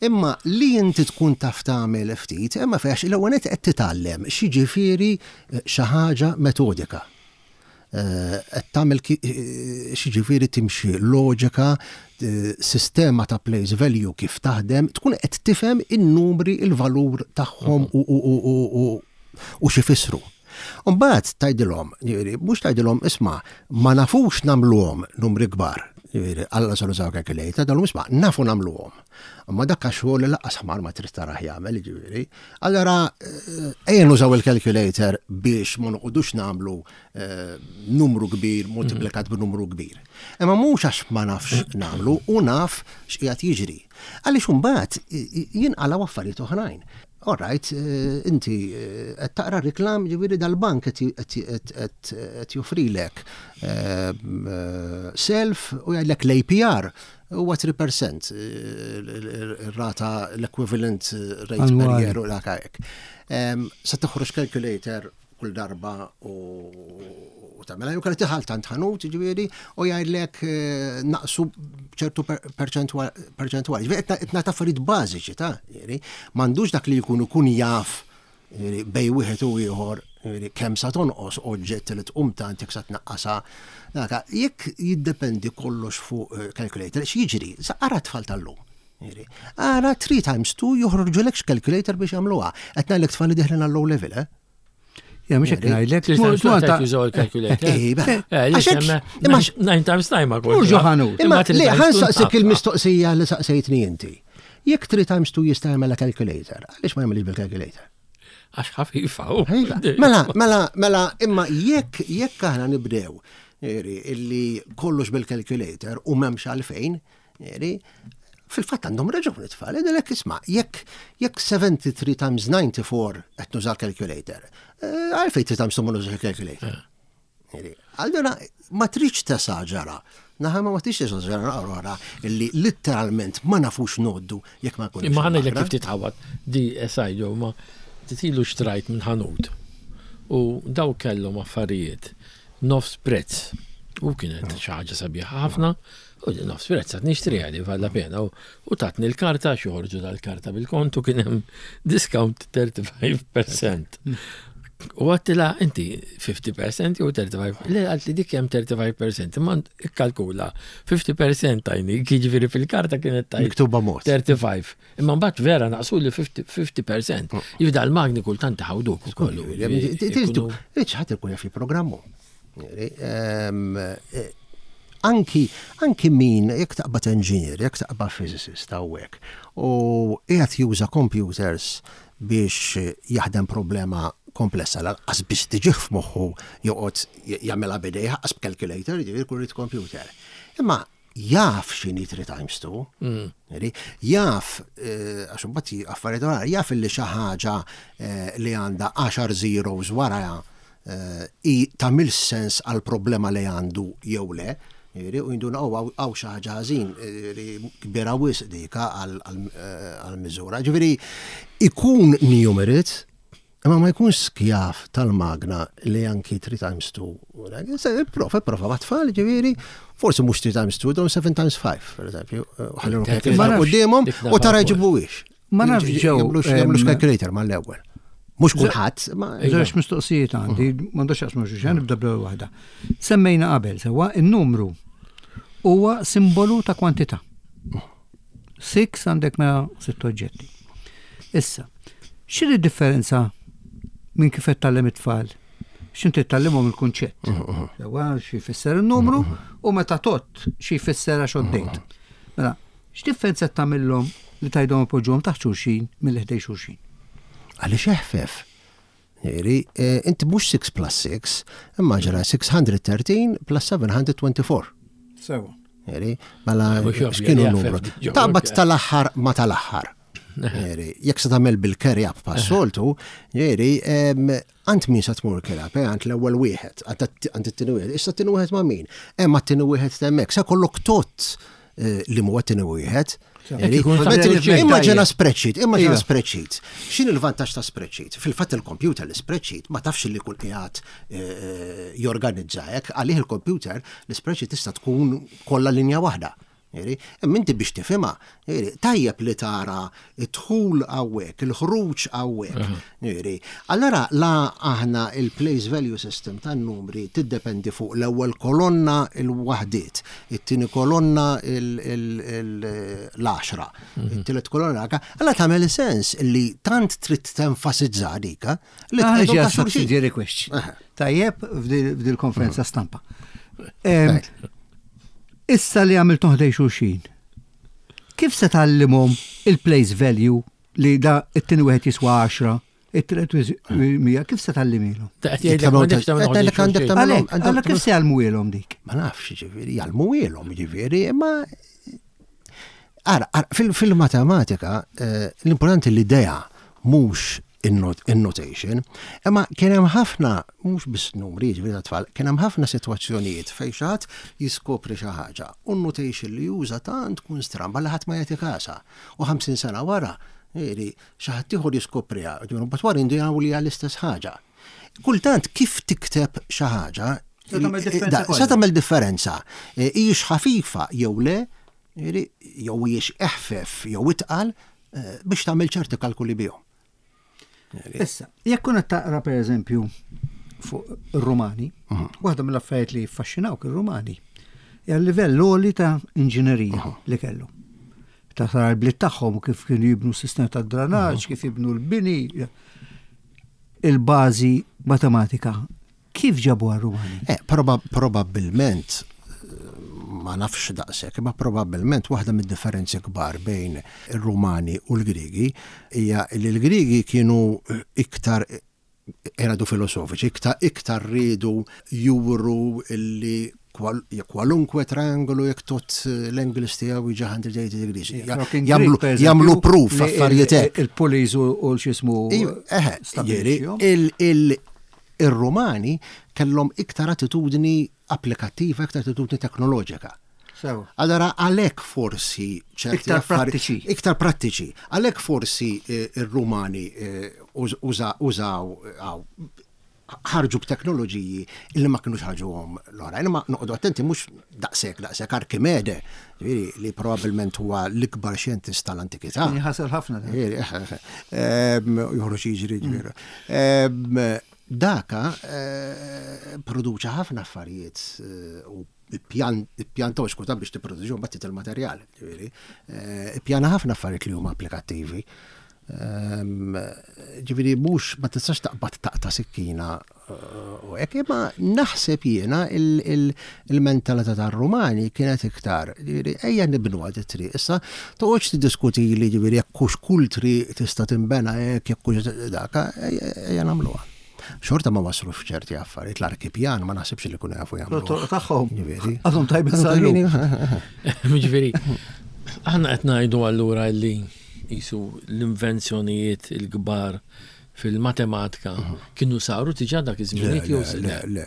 Imma li inti tkun taf tagħmel ftit, imma fejn l-ewwel nett qed titgħallem x'jiġifieri xi ħaġa metodika. Qed tagħmel x'jiġifieri timxi loġika, sistema ta' place value kif taħdem, tkun qed tifhem in-numri, il-valur tagħhom u x'ifissru. U mbagħad tgħidilhom, jiġifieri mhux tgħidilhom isma' ma nafux nagħmluhom numri kbar. Jiġifieri, alla se nużaw calculator, dan isma' nafu nagħmluhom. Imma dak xogħol li laqqas ħmar ma trid tarah jagħmel, jiġifieri. Allora eh, ejja nużaw il-calculator biex ma noqogħdux nagħmlu eh, numru kbir multiplikat b'numru kbir. Imma mhux għax ma nafx nagħmlu u naf x'qiegħed jiġri. Għaliex imbagħad jinqalgħu affarijiet oħrajn. All right, eh, inti eh, qed taqra reklam ġifieri dal-bank qed joffrilek eh, self u jgħidlek l-APR huwa 3% ir-rata l-equivalent rate per year u dak hekk. Sa toħroġ calculator kull darba u tagħmilha jew kellha tiħal tant ħanut ġifieri u jgħidlek eh, naqsu ċertu perċentwali. Ġifieri qed nagħti affarijiet bażiċi ta' ġifieri m'għandux dak li jkun ikun jaf bej wieħed u ieħor kemm sa tonqos oġġett li tqum tant jekk sa tnaqqasha. Daka, jekk jiddependi kollox fuq eh, calculator, x'jiġri? Sa ara tfal tal-lum. Ara 3 times 2 joħorġulek calculator biex jagħmluha. Qed ngħidlek tfal li deħlin għall-low level, eh? Ja, mhux hekk ngħidlek. Jużaw il-calculator. Eh, eh, nine times nine ma kol. Mhux ħanut. Imma li ħansaqsik il-mistoqsija li saqsejtni inti. Jekk 3 times 2 jista' jagħmel calculator, għaliex ma jagħmilx bil-calculator? Għax ħafifa. Mela, mela, mela, imma jekk jekk aħna nibdew illi kollox bil-calculator u m'hemmx għalfejn, Fil-fatt għandhom raġun it-tfal, jgħidilek isma' jekk jekk 73 times 94 qed nuża l-calculator, eh, għalfejn 3 times 2 ma nużax il-calculator. Eh. Allura ma tridx tesaġara. Naħa ma tridx tesaġara naqra illi litteralment ma nafux noddu jekk ma nkunux. Imma ħanejlek kif titħawad di esajdu ma titilu xtrajt minn ħanut u daw kellhom affarijiet nofs prezz. U kienet xi ħaġa sabiħa ħafna U din nofs prezz għad nixtriha li valla pena u tatni l-karta xi joħorġu dal-karta bil-kont u kien hemm discount 35%. U għattila inti 50% jew 35%, le għalt li dik hemm 35%, imma ikkalkula 50% tajni, jiġifieri fil-karta kienet tajni. Miktuba mod. 35. Imma mbagħad vera naqsu li 50%. Jibda l-magni kultant ħawduk ukoll. Ħadd ikun jaf jipprogrammu. Eh, anki, anki min, jekk taqbad engineer, jekk taqbad physicist hawnhekk, u qiegħed juża computers biex jaħdem problema komplessa, lanqas biex tiġih f'moħħu joqgħod jagħmilha b'idejh, qas b'calculator, jiġifieri jkun irid computer. Imma jaf x'inhi 3 times 2. Mm. Jaf, eh, għax imbagħad affarijiet oħra, jaf li xi ħaġa eh, li għandha 10 zeros wara eh, i tagħmel sens għal problema li għandu jew le. U jinduna oh, għaw xi ħaġa ħażin kbira wisq dika għal miżura. Ġifieri ikun numerit, Imma ma jkunx skjav tal-magna li anki 3 times 2. Prova, prova ma tfal, ġifieri, forsi mhux 3 times 2, dawn 7 times 5, per eżempju. Ħallihom qudiemhom u tara jġibuhiex. Ma nafx ġew. Jagħmlux calculator mal-ewwel. Mhux kulħadd. Żewġ mistoqsijiet għandi, m'għandux jaqsmu xulxin, nibda bl-ewwel waħda. Semmejna qabel sewwa in-numru huwa simbolu ta' kwantità. Six għandek mela sitt oġġetti. Issa, x'inhi differenza minn kif qed tgħallem it-tfal? X'inti tgħallimhom il-kunċett. Sewwa xi jfisser in-numru u meta tott xi jfisser għax għoddejt. Mela, x'differenza qed tagħmilhom li tgħidhom ipoġġuhom taħt xulxin milli ħdej xulxin? Għaliex eħfef. Jiġifieri, eh, inti mhux 6 plus 6, imma ġara 613 plus 724. Sewa. Jiġifieri, mela x'kienu n-numru? Taqbad tal-aħħar ma tal-aħħar. Jiġifieri, jekk se tagħmel bil-carry up pas-soltu, jiġifieri, għand min se tmur carry up, eh, għand l-ewwel wieħed, għand it-tieni wieħed, issa t-tieni wieħed ma' min? Hemm għat-tieni wieħed t'hemmhekk, se kollok tot eh, li huwa t-tieni wieħed. Immaġina spreadsheet, immaġina iva. spreadsheet. X'in il-vantaġġ ta' spreadsheet? Fil-fatt il-computer l-spreadsheet ma tafx li kull qiegħed eh, jorganizza hekk, għalih il-computer l-spreadsheet tista' tkun kollha linja waħda. Imma inti biex tifhimha, tajjeb li tara id-dħul hawnhekk, il-ħruġ hawnhekk. Allora la aħna il-place value system tan-numri tiddependi fuq l-ewwel kolonna il-waħdiet, it-tieni kolonna l-għaxra, it-tielet kolonna allora tagħmel sens li tant trid tenfasizza dika li tqegħdu subsidiary question. Tajjeb f'dil-konferenza stampa. Issa li għamilthom ħdej xulxin, kif se tgħallimhom il-place value li da it-tieni wieħed jiswa 10, it-tielet 100, kif se tgħallimilhom? Għalhekk kif se jgħallmuhielhom dik? Ma nafx, ġifieri, jgħallmuhielhom, ġifieri, imma Ara, fil-matematika, eh, l-importanti l-idea mhux in-notation, imma kien hemm ħafna, mhux biss numri, jiġifieri ta' tfal, kien hemm ħafna sitwazzjonijiet fejn xi ħadd jiskopri xi ħaġa u n-notation li juża tant tkun stramba li ħadd ma jagħti kasha. U 50 sena wara, jiġifieri xi ħadd ieħor jiskopriha, jiġifieri mbagħad wara jindunaw li hija l-istess ħaġa. Kultant kif tikteb xi ħaġa se tagħmel differenza. E, hijiex ħafifa jew le, jew hijiex eħfef jew itqal e, biex tagħmel ċerti kalkuli bihom. Issa, jekk kun qed taqra pereżempju fuq ir-Rumani, mhm. waħda mill-affarijiet li jiffaxxinawk ir-Rumani hija l-livell għoli ta' inġinerija mhm. li kellu. Ta' sar l-bliet tagħhom kif kienu jibnu s-sistema ta' dranaġġ, mhm. kif jibnu l-bini, il-bażi matematika Kif ġabuha r-Rumani? Eh, probabbilment, ma nafx daqshekk, imma probabbilment waħda mid-differenzi kbar bejn ir-Rumani u l-Griegi hija li l-Griegi kienu iktar eradu filosofiċi, iktar iktar riedu juru li kwalunkwe triangolu jekk tot l-angles tiegħu jiġi 180 degrees. Jagħmlu proof affarijiet hekk. Il-pulleys u l-xismu. Eħe, Ir-Rumani kellhom iktar attitudni applikattiva, iktar attitudni teknoloġika. Sew. Allora għalhekk forsi ċerti Iktar prattiċi. Iktar prattiċi. Għalhekk forsi r-Rumani użaw ħarġu b'teknoloġiji li ma kinux ħarġuhom l-oħrajn. Imma noqogħdu attenti mhux daqshekk daqshekk Arkimede, li probabbilment huwa l-ikbar xjentist tal-antikità. Kien ħasel ħafna. Joħroġ jiġri ġifieri. Daka produċa ħafna affarijiet u ippjanta u xkuta biex tipproduċi mbagħad il-materjal, ġifieri. Ippjana ħafna affarijiet li huma applikattivi. Ġifieri mhux ma tistax taqbad taqta' sikkina u hekk, imma naħseb jiena il-mentalità tar-Rumani kienet iktar, ġifieri ejja nibnu għad it-triq. Issa toqgħodx tiddiskuti li ġifieri jekk hux kull triq tista' tinbena hekk jekk hux daka, ejja nagħmluha. Xorta ma waslux f'ċerti affarijiet, l-arkipjan ma naħsibx li kunu jafu jagħmlu. Toroq tagħhom. Ġifieri. Għadhom tajbin sal Ġifieri, aħna qed ngħidu allura li qisu l-invenzjonijiet il-kbar fil-matematika kienu saru diġà dak iż-żmien jew le, le.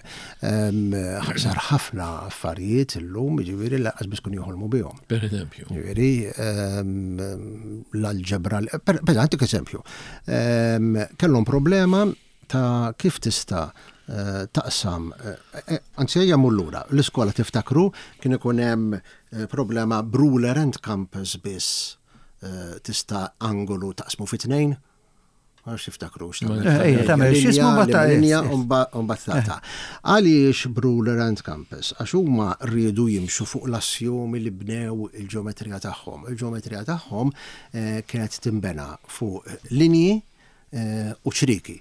Sar ħafna affarijiet illum, jiġifieri lanqas biss kienu joħolmu bihom. Per eżempju. Jiġifieri l-alġebra, per għantik eżempju. Kellhom problema ta' kif tista' taqsam, anzi ejja mmur lura, l-iskola tiftakru kien ikun hemm problema b'ruler and compass biss tista' angolu taqsmu fi tnejn? Ma nafx tiftakrux. Tagħmel x'ismu mbagħad linja u mbagħad taqta'. Għaliex b'ruler and compass? Għax huma riedu jimxu fuq l-assjomi li bnew il-ġeometrija tagħhom. Il-ġeometrija tagħhom kienet tinbena fuq linji u ċrieki.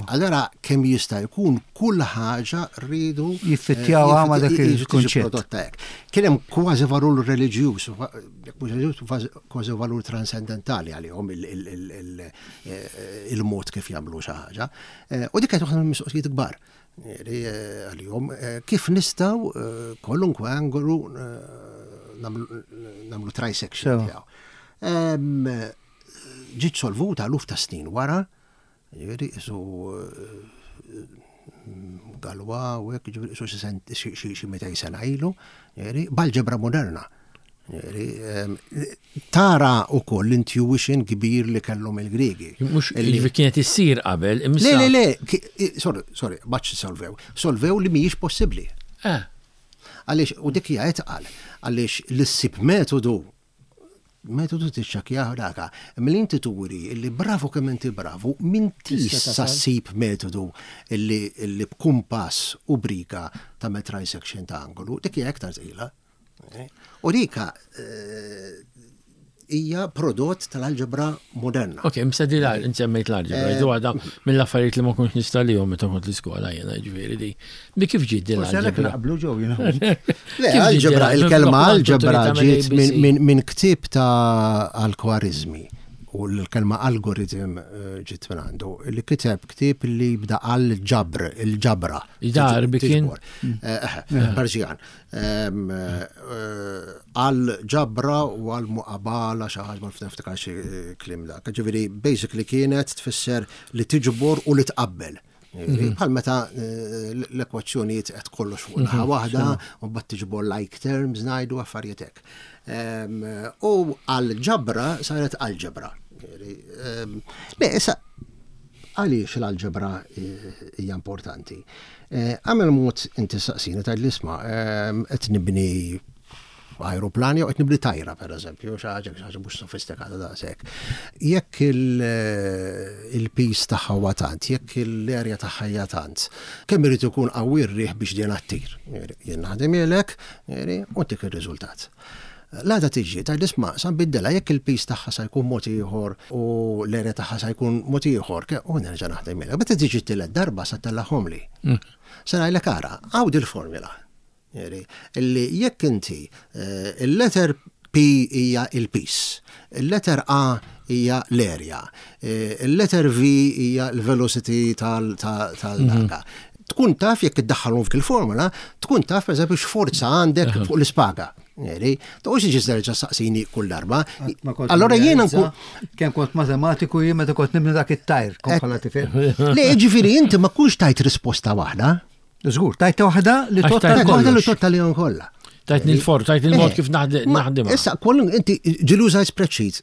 Allora kemm jista' jkun kull ħaġa rridu jiffittjawha ma' dak il-kunċett. Kien hemm kważi valur reliġjuż, kważi valur transcendentali għalihom il-mod kif jagħmlu xi ħaġa. U dik kienet waħda mill-mistoqsijiet kbar għalihom kif nistgħu kwalunkwe angolu nagħmlu trisection tiegħu. Ġiet solvuta eluf ta' snin wara Ġifieri qisu Galwa u hekk, ġifieri qisu xi xi 200 sena ilu, ġifieri b'alġebra moderna. Ġifieri tara wkoll l-intuition kbir li kellhom il-Griegi. Mhux ġifieri kienet issir qabel, imma. Le, le, le, sorry, sorry, m'għadx solvew. Solvew li mhijiex possibbli. Eh. Għaliex, u dik hija itqal, għaliex li ssib metodu Metodu tiċċekkjah daka. Imma li inti turi li bravu kemm inti bravu, m'intix sa ssib metodu li b'kumpass u briga tagħmel trisection ta' angolu, dik hija iktar tqila. U dika eh, hija prodott tal-alġebra moderna. Ok, msedi l insemmejt l-alġebra, eh, għada mill-affarijiet li ma kontx nistalihom meta kont l-iskola jiena ġifieri di. Bi kif ġiet din l-alġebra? Naqblu ġew jiena. Le, alġebra, il-kelma alġebra ġiet minn ktieb ta' Al-Khwarizmi u l-kelma algoritm eh, ġiet minn għandu, li kiteb ktieb li bda għal ġabr, il-ġabra. Dar kien. Eh, Persian. Għal ġabra u għal muqabala xi ħaġa ma niftakar xi kliem dak. Ġifieri basically kienet tfisser li tiġbor u li tqabbel. Mhm. Bħal meta eh, l-ekwazzjonijiet qed kollox fuq naħa mhm. waħda u mbagħad tiġbor like terms ngħidu affarijiet hekk. U għal ġabra saret alġebra. Le, issa għaliex l-alġebra eh, hija importanti? Eh, għamel mod inti saqsini tgħid li isma' ehm, qed nibni aeroplan jew qed nibni tajra pereżempju, xi ħaġa xi ħaġa mhux sofistikata daqshekk. Jekk eh, il-pis tagħha huwa tant, jekk l-erja tagħha hija tant, kemm irid ikun qawwi r-riħ biex din attir. Jien naħdimilek, u tik ir-riżultat. L-għada tiġi, tgħid isma' sa nbiddilha jekk il-piż tagħha sa jkun mod ieħor u l-area tagħha sa jkun mod ieħor, u nerġa' naħdem miegħek. Meta tiġi t-tielet darba sa ttellagħhomli. Se ngħidlek ara, hawn dil-formula. Illi jekk inti eh, il-letter P hija il-piż, il-letter A hija l-area, eh, il-letter V hija l-velocity tal-daka. Tkun taf jekk iddaħħalhom f'dik il-formula, tkun taf pereżempju x'forza għandek fuq l-ispaga. Eri, toqgħodx tiġi terġa' saqsini kull darba. Allora jiena nkun kemm kont matematiku jien meta kont nibni dak it-tajr, kont bħala tifel. Le, ġifieri inti ma kunx tajt risposta waħda. Żgur, tajt waħda li totta waħda li totta li kollha. Tajt il-for, tajt il-mod eh, kif naħdem. Issa, kollum inti ġilu użajt spreadsheet.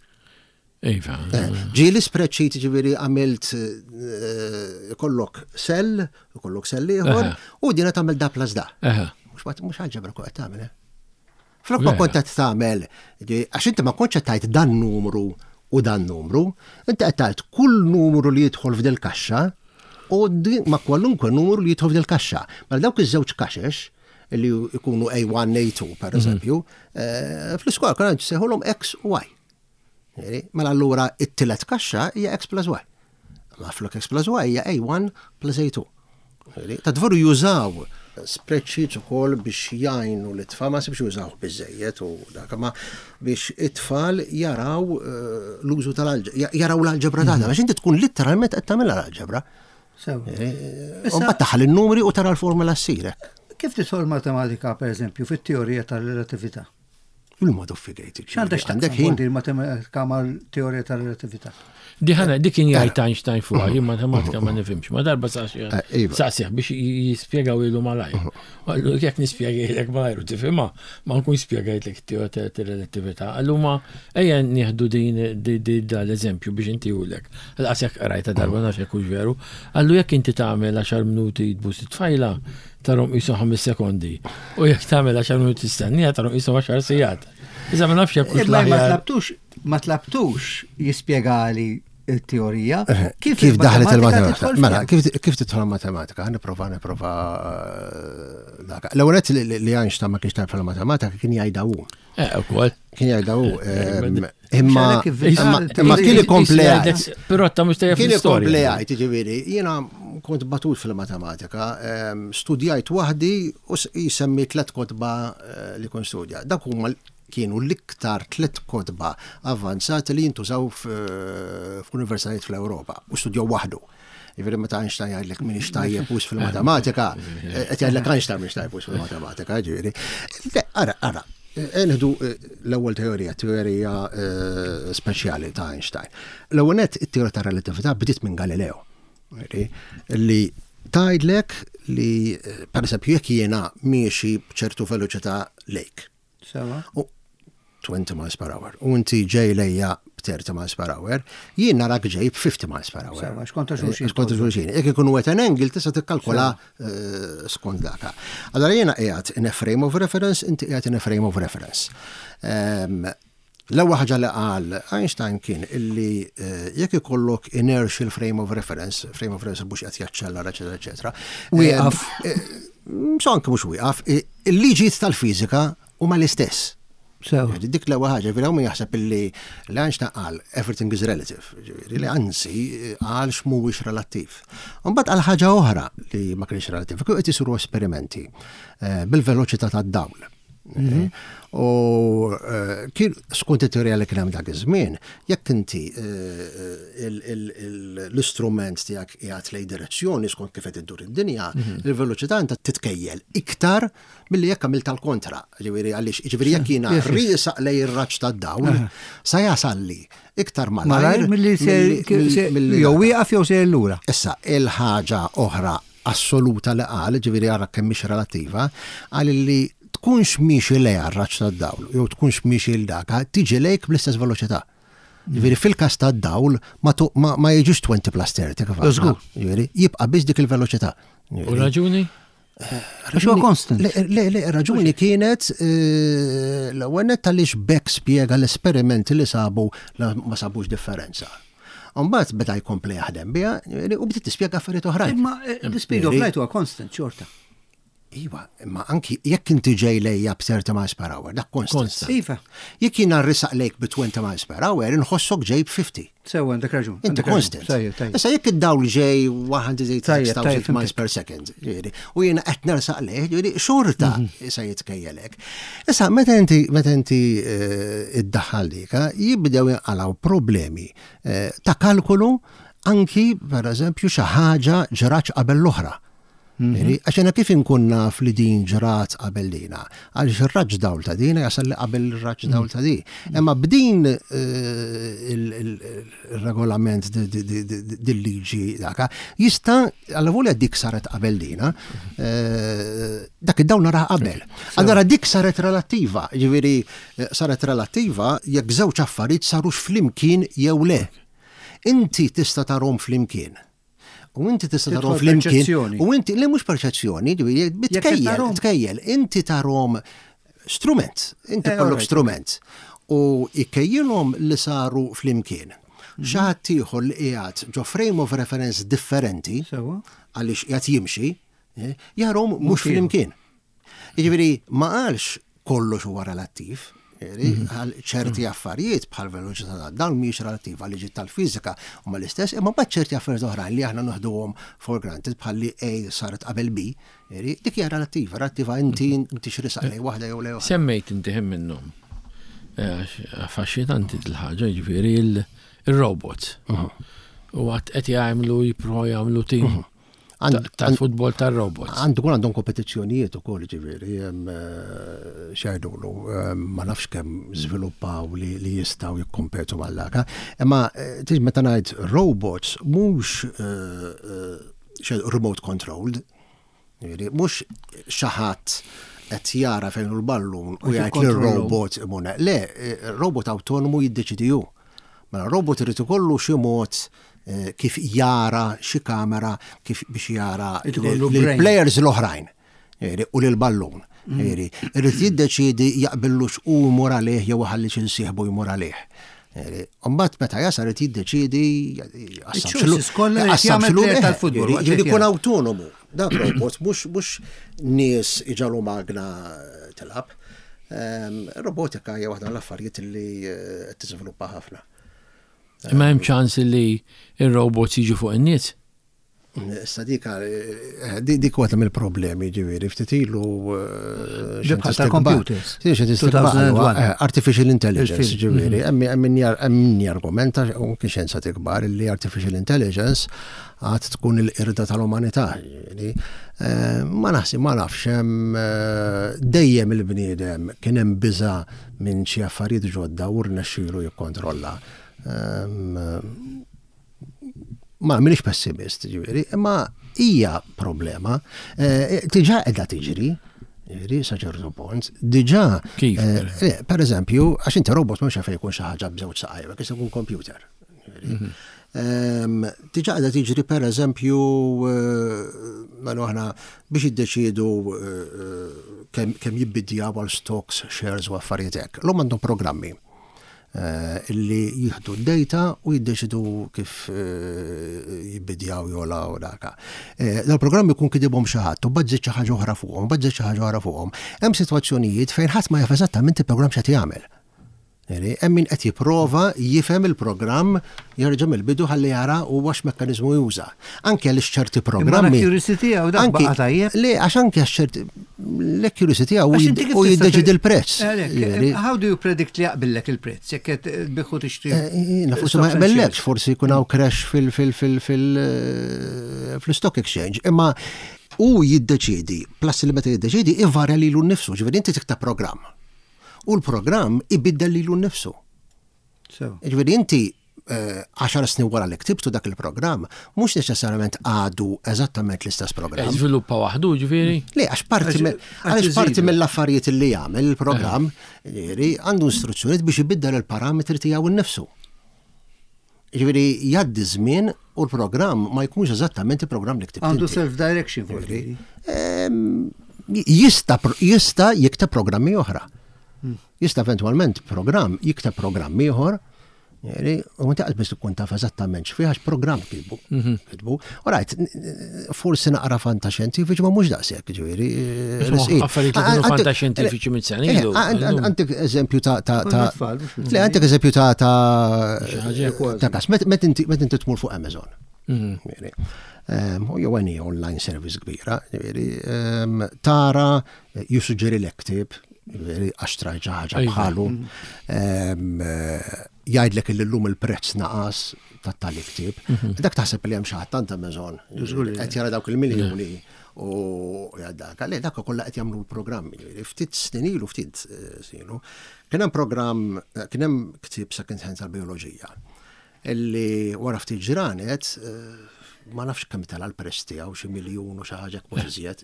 Iva. Eh, ġieli spreadsheet ġifieri għamilt eh, kollok sell, kollok sell ieħor, u dina tagħmel da plus da. Mhux alġebra kont qed tagħmel, eh? Flok ma kont qed tagħmel, għax inti ma kontx qed tgħid dan numru u dan numru, inti qed tgħid kull numru li jidħol f'dil kaxxa u ma kwalunkwe numru li jidħol f'dil kaxxa. Mela dawk iż-żewġ kaxex li jkunu A1, A2 per mhm. eżempju, fl-iskola konna nsejħulhom X u Y. Mela allura it-tielet kaxxa hija x plus y. Ma flok x plus y hija a1 plus a2. Ta' dvoru jużaw spreadsheets ukoll biex jgħinu l-itfal, ma sibx jużaw biżejjed u dak, ma biex it-tfal jaraw eh, l-użu tal-alġebra, jaraw l-alġebra tagħna, mhm. għax inti tkun litteralment qed tagħmilha l-alġebra. Eh, u mbagħad taħal in-numri u tara l-formula ssirek. Kif tidħol matematika, per eżempju, fit-teorija tal-relatività? Il-mod of figurative. X'għandek x'għandek ħin il-matematika mal-teorija tal-relatività? Di ħana, dik kien jgħid Einstein fuqha, jien matematika ma nifhimx, ma darba saqsih eh, iva. saqsih biex jispjegaw ilu malajr. Uh-huh. Għallu jekk nispjegajlek malajr u tifhimha, ma nkun spjegajtlek it-teorija tal-relatività. Għallu ma ejja nieħdu din l-eżempju biex intihulek. Għal jekk qrajta darba nafx jekk hux veru. Għallu jekk inti tagħmel 10 minuti tbus it-tfajla, Tarhom qishom ħames sekondi. U jekk tagħmel għaxar minuti tistennija tarhom qishom għaxar sigħat. Iżda ma nafx jekk hux Ma tlabtux, ma tlabtux jispjegali il-teorija. Eh, kif daħlet il-matematika? Mela, kif tidħol matematika? Nipprova nipprova eh, dak. L-ewwel li Einstein ma kienx tajb fil-matematika kien jgħidha hu. Eh, ukoll. Kien jgħidha hu. Imma imma kien ikompli jgħid. Pirotta mhux tajjeb Kien ikompli jgħid, jiġifieri, jiena kont batut fil-matematika, studjajt waħdi u jisemmi tlet kotba eh, li kont studja. Dak huma kienu l-iktar tlet kotba avvanzati li jintużaw f'universitajiet fl-Ewropa u studjaw waħdu. Jiġifieri meta Einstein jgħidlek minix tajjeb wis fil-matematika, qed jgħidlek Einstein minix tajjeb wis fil-matematika, ġifieri. Ara, ara, Nieħdu eh, l-ewwel teorija, teorija eh, speċjali ta' Einstein. L-ewwel nett it-teorija ta' relatività bdiet minn Galileo. Li tgħidlek li eh, pereżempju jekk jiena miexi b'ċertu veloċità lejk. Sewa. 20 miles per hour u inti ġej lejja b'30 miles per hour, jien narak ġej b'50 miles per hour. Sewa, xkonta xulxin. Eh, xkonta xulxin. Jekk ikun wet an angle tista' tikkalkola eh, skont daka. Allora jiena qiegħed in a frame of reference, inti qiegħed in a frame of reference. Ehm, l-ewwel ħaġa li qal Einstein kien illi eh, jekk ikollok inertial frame of reference, frame of reference mhux qed jaċċellera, eċetera, eċetera. Wieqaf. So anke mhux wieqaf, il-liġijiet tal-fiżika huma l-istess. Sew. Dik l-ewwel ħaġa, ġifieri hawn min jaħseb illi li Einstein qal everything is relative, ġifieri li anzi qal x'mhuwiex relattiv. Imbagħad qal ħaġa oħra li ma kienx relattiv, kieku qed isiru esperimenti eh, bil-veloċità tad-dawl. Mhm. U eh, kien skont it-teorija li kien hemm dak iż-żmien, jekk inti eh, l-istrument tiegħek qiegħed lej direzzjoni skont kif qed iddur id-dinja, mhm. il-veloċità inta titkejjel iktar milli jekk għamilt tal-kontra. Ġifieri għaliex, ġifieri jekk jiena riesaq lej ir-raġġ tad-dawl, sa jasalli iktar malajr milli jew wieqaf jew sejjer lura. Issa, il-ħaġa oħra assoluta li qal, ġifieri ara kemm mhix relattiva, qal li tkunx miexi lejha r-raġġ tad-dawl jew tkunx miexi 'l daka, tiġi lejk bl-istess veloċità. Ġifieri fil-każ tad-dawl ma jiġix 20 plus 30 kif għadna. Ġifieri jibqa' biss dik il-veloċità. U raġuni? Għax huwa constant. Le, le, raġuni kienet eh, l-ewwel nett għaliex Beck spjega l-esperimenti li sabu ma sabux differenza. Mbagħad beda jkompli jaħdem biha u bdiet tispjega affarijiet oħrajn. Imma eh, the speed of light huwa constant xorta. Iva, imma anki jekk inti ġej lejja b'30 miles per hour, dak constant. Iva. Jekk jiena rrisaq lejk bi 20 miles per hour, inħossok ġej b'50. Sewa, għandek raġun. Inti constant. Issa jekk id-dawl ġej 186,000 miles per second, ġifieri, u jiena qed nersaq lejh, ġifieri xorta mhm. se jitkejjelek. Issa meta inti meta inti eh, iddaħħal dika, jibdew jinqalgħu problemi eh, ta' kalkolu anki per eżempju xi ħaġa ġraċ qabel l-oħra. Mhm. Għax jena kif inkun naf li din ġrat qabel dina? Għaliex ir-raġġ dawl ta' dina jasal li qabel ir-raġġ dawl ta' di. Mhm. Imma b'din eh, il-regolament dil-liġi daka, jista' għalla volja dik saret qabel dina, eh, dak id-dawl nara qabel. Allora dik saret relattiva, ġifieri eh, saret relattiva jekk żewġ affarijiet sarux flimkien jew le. Inti tista' tarhom flimkien. U inti tista' tarhom flimkien. U inti le mhux perċezzjoni, tkejjel, tkejjel, inti tarhom strument, inti eh, kollok strument. U ikkejjilhom li saru flimkien. Mhm. Xi ħadd ieħor li qiegħed ġo frame of reference differenti, għaliex qiegħed jimxi, eh, jarhom mhux flimkien. Jiġifieri ma qalx kollox huwa relattiv, mhm. għal ċerti mhm. affarijiet bħal veloċità ta' dawl mhijiex relattiva li ġiet tal-fiżika huma l-istess, imma mbagħad ċerti affarijiet oħrajn li aħna noħduhom for granted bħal li A saret qabel B, dik hija relattiva, relattiva inti mhm. inti x'risaq lej waħda jew lej oħra. Semmejt inti ħin minnhom. Eh, affaxxinanti dil-ħaġa, jiġifieri il-robots. U għat qed jagħmlu jipprovaw jagħmlu tim Tal-futbol tal-robots. Għandu kun għandhom kompetizzjonijiet ukoll ġifieri, eh, xajdulu, eh, ma nafx kemm żviluppaw li jistgħu jikkompetu mal-laka. Imma eh, tiġ meta ngħid robots mhux remote controlled, mhux xi ħadd qed jara fejn hu l-ballun u jgħid lir-robot imur. Le, robot awtonomu jiddeċidi hu. Mela robot irid ikollu xi mod eh, kif jara xi kamera kif biex jara l-players l-oħrajn u lil-ballun. Mm. Irid jiddeċiedi jaqbillux u jmur għalih jew ħalli xi nsieħbu jmur għalih. Mbagħad meta jasal irid jiddeċiedi tal-futbol. Ġifieri jkun autonomu. Dak robot mhux nies iġalu magna tilgħab. Ehm, robotika hija waħda mill-affarijiet li eh, qed tiżviluppa ħafna. Imma hemm ċans li r-robots jiġu fuq in-nies? Issa dik eh, dik waħda mill-problemi ġifieri ftit ilu eh, tal-computers. Artificial intelligence ġifieri, mhm. hemm min jargumenta u kien xjenza tikbar li artificial intelligence għad tkun il-qirda tal-umanità. Eh, ma naħsib, ma nafx, hemm eh, dejjem il-bniedem kien hemm biża' minn xi affarijiet ġodda u rnexxielu jikkontrolla. Ehm, ma minix pessimist, ġifieri, imma hija problema. Eh, diġà qiegħda tiġri, ġifieri sa ċertu punt, diġà. Kif? Per eżempju, għax inti robot mhux fejn jkun xi ħaġa b'żewġ saqajja, jista' jkun computer. Mhm. Ehm, diġà qiegħda tiġri per eżempju eh, mela aħna biex jiddeċiedu eh, kemm jibbidjaw għal stocks, shares u affarijiet hekk. L-hom għandhom programmi. Illi jieħdu d-data u jiddeċidu kif jibbidjaw jogħla u daka. Dal-programm ikun kitibhom xi ħadd u mbagħad żied xi ħaġa oħra fuqhom, mbagħad żied xi ħaġa oħra fuqhom. Hemm sitwazzjonijiet fejn ħadd ma jaf eżattament il-programm x'qed jagħmel. Hemm min qed jipprova jifhem il-programm jerġa' mill-bidu ħalli jara huwa x'mekkaniżmu juża. Anke għaliex ċerti programmi. Imma l-accuracy tiegħu dak baqa' tajjeb. Le, għax anke għax ċerti l-accuracy tiegħu u jiddeċidi l-prezz. How do you predict li jaqbillek il-prezz jekk qed tbigħ u tixtri? Jiena forsi ma jaqbillekx, forsi jkun hawn crash fil-stock exchange. Imma hu jiddeċiedi, plus li meta jiddeċiedi ivarja lilu nnifsu, ġifieri inti tikteb programm. U l-programm ibiddel lilu nnifsu. Ġifieri inti 10 snin wara li ktibtu dak il-programm, mhux neċessarjament għadu eżattament l-istess programm. Żviluppa waħdu, ġifieri? Le, għax parti għaliex parti mill-affarijiet li jagħmel il-programm, ġifieri għandu instruzzjonijiet biex ibiddel il-parametri tiegħu nnifsu. Ġifieri jgħaddi żmien u l-programm ma jkunx eżattament il-programm li ktibt. Għandu self-direction forsi. Jista' jista' jikteb programmi oħra. Jista' eventwalment programm jikteb programm ieħor U inti qas biss tkun taf eżattament x'fih għax programm kitbu. Kitbu. U rajt, forsi naqra fantaxjentifiċi ma mhux daqshekk, ġifieri. Affarijiet li kienu fantaxjentifiċi minn sena ilu. Għandek eżempju ta' ta' ta' Le għandek eżempju ta' ta' ta' kas. Met inti tmur fuq Amazon. U jew any online service kbira, ġifieri, tara jissuġġerilek ktieb, ġifieri għax trajt xi ħaġa bħalu. Jgħidlek illi llum il-prezz naqas tat-tali ktieb. Dak taħseb li hemm xi ħadd tant Amazon qed jara dawk il-miljuni u dak. Le dak kollha qed jagħmlu l-programmi. Ftit snin ilu, ftit snin ilu, kien hemm programm, kien hemm ktieb second hand tal-bijoloġija Illi wara ftit ġranet, ma nafx kemm tela' l-prezz tiegħu, xi miljun u xi ħaġa hekk mhux iżjed,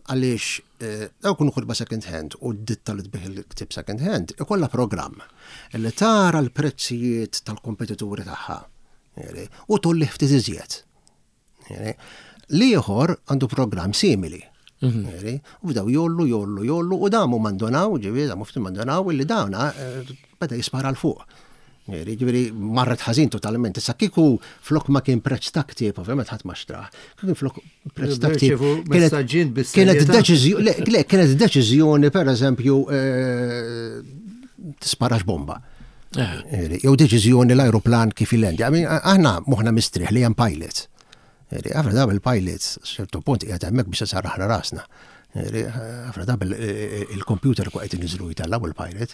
għaliex dawk ikunu kotba second hand u d-ditta li tbigħ il-ktieb second hand ikollha programm li tara l-prezzijiet tal-kompetituri tagħha u tgħollih ftit iżjed. L-ieħor għandu programm simili. U bdew jollu, jollu, jollu, u damu mandonaw, ġifieri, damu ftit mandonaw, illi dawna beda jispara l fuq. Ġifieri, marret ħażin totalment. Issa kieku flok ma kien prezz ta' ktieb, ovvjament ħadd ma xtrah. Kieku flok prezz ta' ktieb. Kienet deċiżjoni, le, kienet deċiżjoni, per eżempju, tisparax bomba. Jew deċiżjoni l-ajruplan kif jilendja. Aħna moħħna mistrieħ li hemm pilot. Ħafna drabi il-pilots ċertu punt qiegħed hemmhekk biex isarraħna rasna. Ħafna drabi il-computer kwa qed iniżlu jtellgħu il-pilot.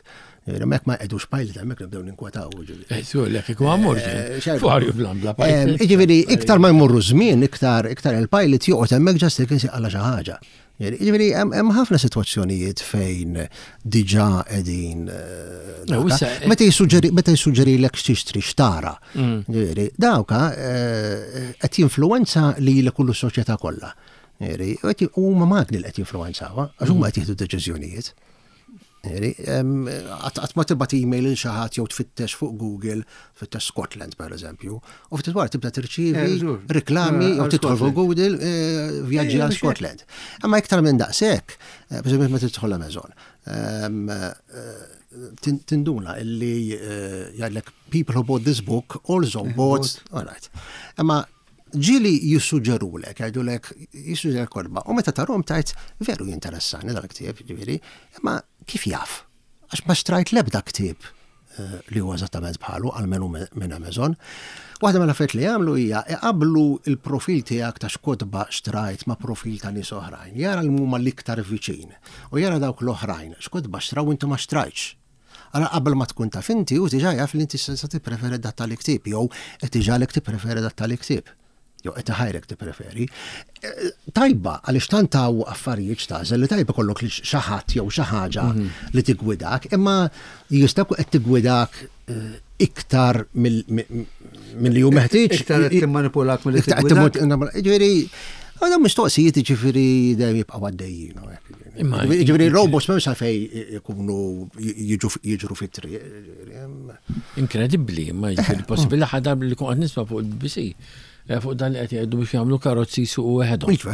Hemmhekk ma jqegħdux pilot hemmhekk nibdew ninkwetaw. Żgur, lek ikun għamur. Fuq ajruplan bla pilot. Jiġifieri iktar ma jmorru żmien, iktar il-pilot joqgħod hemmhekk ġast jekk insieq għala xi ħaġa. Jiġifieri hemm ħafna sitwazzjonijiet fejn diġà qegħdin. Meta jissuġġeri meta jissuġġerilek x'tixtri x'tara. Jiġifieri dawka qed jinfluwenza lilek u lis-soċjetà kollha. Jiġifieri huma magni li qed jinfluwenzawha għax huma qed jieħdu d-deċiżjonijiet. Qatt ma tibgħat email lil xi ħadd jew tfittex fuq Google, tfittex Scotland pereżempju, u ftit wara tibda tirċievi riklami jew tidħol fuq Google vjaġġi għal Scotland. Imma iktar minn daqshekk, pereżempju meta tidħol Amazon, tinduna illi jgħidlek people who bought this book also bought, all right. Imma Ġieli jissuġġerulek, jgħidulek, jissuġġerulek kotba, u meta tarhom tgħid, veru jinteressani dal-ktieb, ġifieri, imma kif jaf? Għax ma xtrajt l-ebda ktieb eh, li huwa eżattament bħalu, almenu minn Amazon. Waħda mill-affarijiet li jagħmlu hija iqablu il-profil tiegħek ta' x'kotba xtrajt ma' profil ta' nies oħrajn. Jara li huma l-iktar viċin u jara dawk l-oħrajn x'kotba xtraw inti ma xtrajtx. Ara qabel ma tkun taf inti, hu diġà jaf li inti se tippreferi dat tali ktieb jew qed iġagħlek tippreferi dat tali ktieb. Jew qed iħajrek tippreferi. Tajba għaliex tant hawn affarijiet x'tagħżel li tajba kollok li xi ħadd jew xi ħaġa li tiggwidak, imma jista' jkun qed tiggwidak iktar milli hu meħtieġ. Iktar qed timmanipulak milli tiggwidak. Ġifieri, dawn mistoqsijiet jiġifieri dejjem jibqgħu għaddejjin. Ġifieri robots m'hemmx għalfejn ikunu jiġru fit-triq. Inkredibbli, ma jiġifieri possibbli l-aħħar darba li kont qed nisma' fuq il-BBC. Eh, fuq dan li qed jgħidu biex jagħmlu karozzi jsuqu weħedhom. Iva,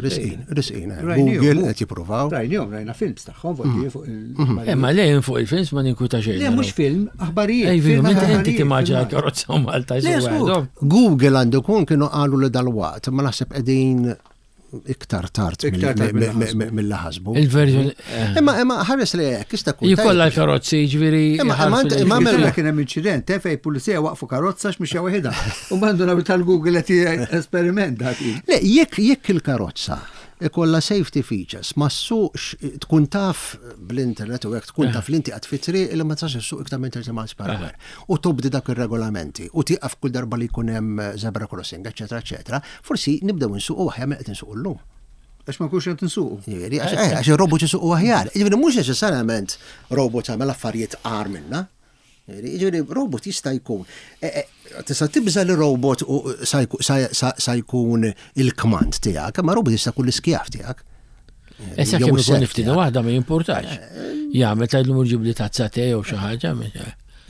risqin, risqin. Eh, Google qed jippruvaw. Rajnihom, rajna films tagħhom fuq mm. fuq il. Mm. Imma eh, le fuq il-films ma ninkwita xejn. Le mhux film, aħbarijiet. Ej, inti timmaġina karozza u Malta jsuqu weħedhom. Google għandu kun kienu qalu li dal-waqt, ma naħseb qegħdin iktar tard mill ħasbu. Il-version. Eh. Imma imma ħares li hekk jista' jkun. Jkollha l-karozzi jiġifieri. Imma imma imma kien hemm inċident eh, fejn pulizija waqfu karozza x'mixja waħedha. U m'għandu nagħmel tal-Google qed esperiment dak. Le, jekk jekk il-karozza ikolla safety features, ma ssuqx tkun taf bl-internet u hekk tkun eh. taf li inti qed fit-triq li ma tistax issuq iktar minn 30 miles per hour. U tobdi dak ir-regolamenti u tieqaf kull darba li jkun hemm zebra crossing, eċetera, eċetera. Forsi nibdew insuqu aħjar minn qed insuqu llum. Għax ma nkunx qed insuqu. Jiġifieri, għax eh, għax ir-robot isuqu aħjar. Jiġifieri mhux neċessarjament robot jagħmel affarijiet agħar minna. Jiġifieri robot jista' jkun. Eh, eh, tista' tibża' li robot sa jkun il-kmand tiegħek, imma robot jista' jkun l-iskjav tiegħek. Issa kemm ikun niftina waħda ma jimpurtax. Jagħmel tgħidlu mur ġibli tazza te jew xi ħaġa.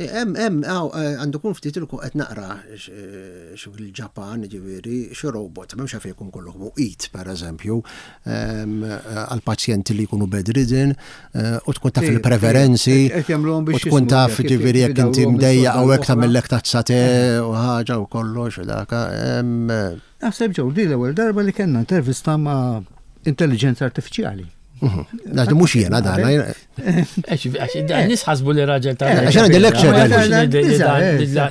Hemm hemm għandu jkun ftit ilku qed naqra xi fil-Ġapan, jiġifieri xi robot, m'hemmx għalfejn ikun kollu muqit pereżempju, għal pazjenti li jkunu bedridden u tkun taf il-preferenzi u tkun taf jiġifieri jekk inti mdejjaq u hekk tagħmillek tazza te u ħaġa u kollox u daka. Naħseb ġew din l-ewwel darba li kellna intervista ma' intelligenza artifiċjali. Għax mhux jiena dan. Għax nis ħasbu li raġel ta' Għax għandi lecture.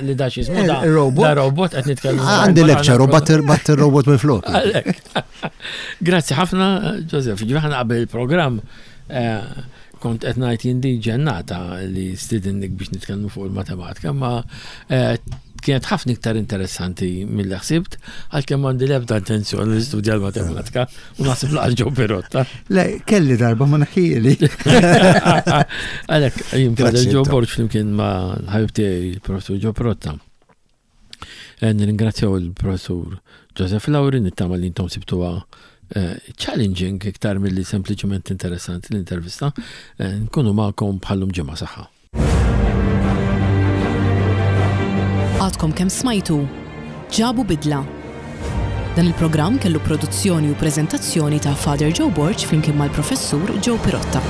Li da xismu da. Robot. Da robot qed nitkellmu. Għandi lecture u batt il-robot minn flok. Grazzi ħafna, Joseph. Ġifieri ħana qabel il-programm eh, kont qed ngħid jien di ġennata li stidinnik biex nitkellmu fuq il-matematika, ma eh, kienet ħafna iktar interessanti mill ħsibt, għalkemm għandi l-ebda intenzjoni li studja l-matematika u naħseb laqas ġew Pirotta. Le, kelli darba ma naħħieli. Għalhekk jien Father Joe Borg flimkien ma' l-ħabib tiegħi il-Professur Joe Pirotta. Eh, nirringrazzjaw il-Professur Joseph Lauri, nittama li intom sibtuha eh, challenging iktar milli sempliċement interessanti l-intervista. Eh, nkunu magħkom bħallum ġimgħa saħħa. Għadkom kemm smajtu Ġabu Bidla. Dan il-programm kellu produzzjoni u preżentazzjoni ta' Father Joe Borg flimkien mal-Professur Joe Pirotta.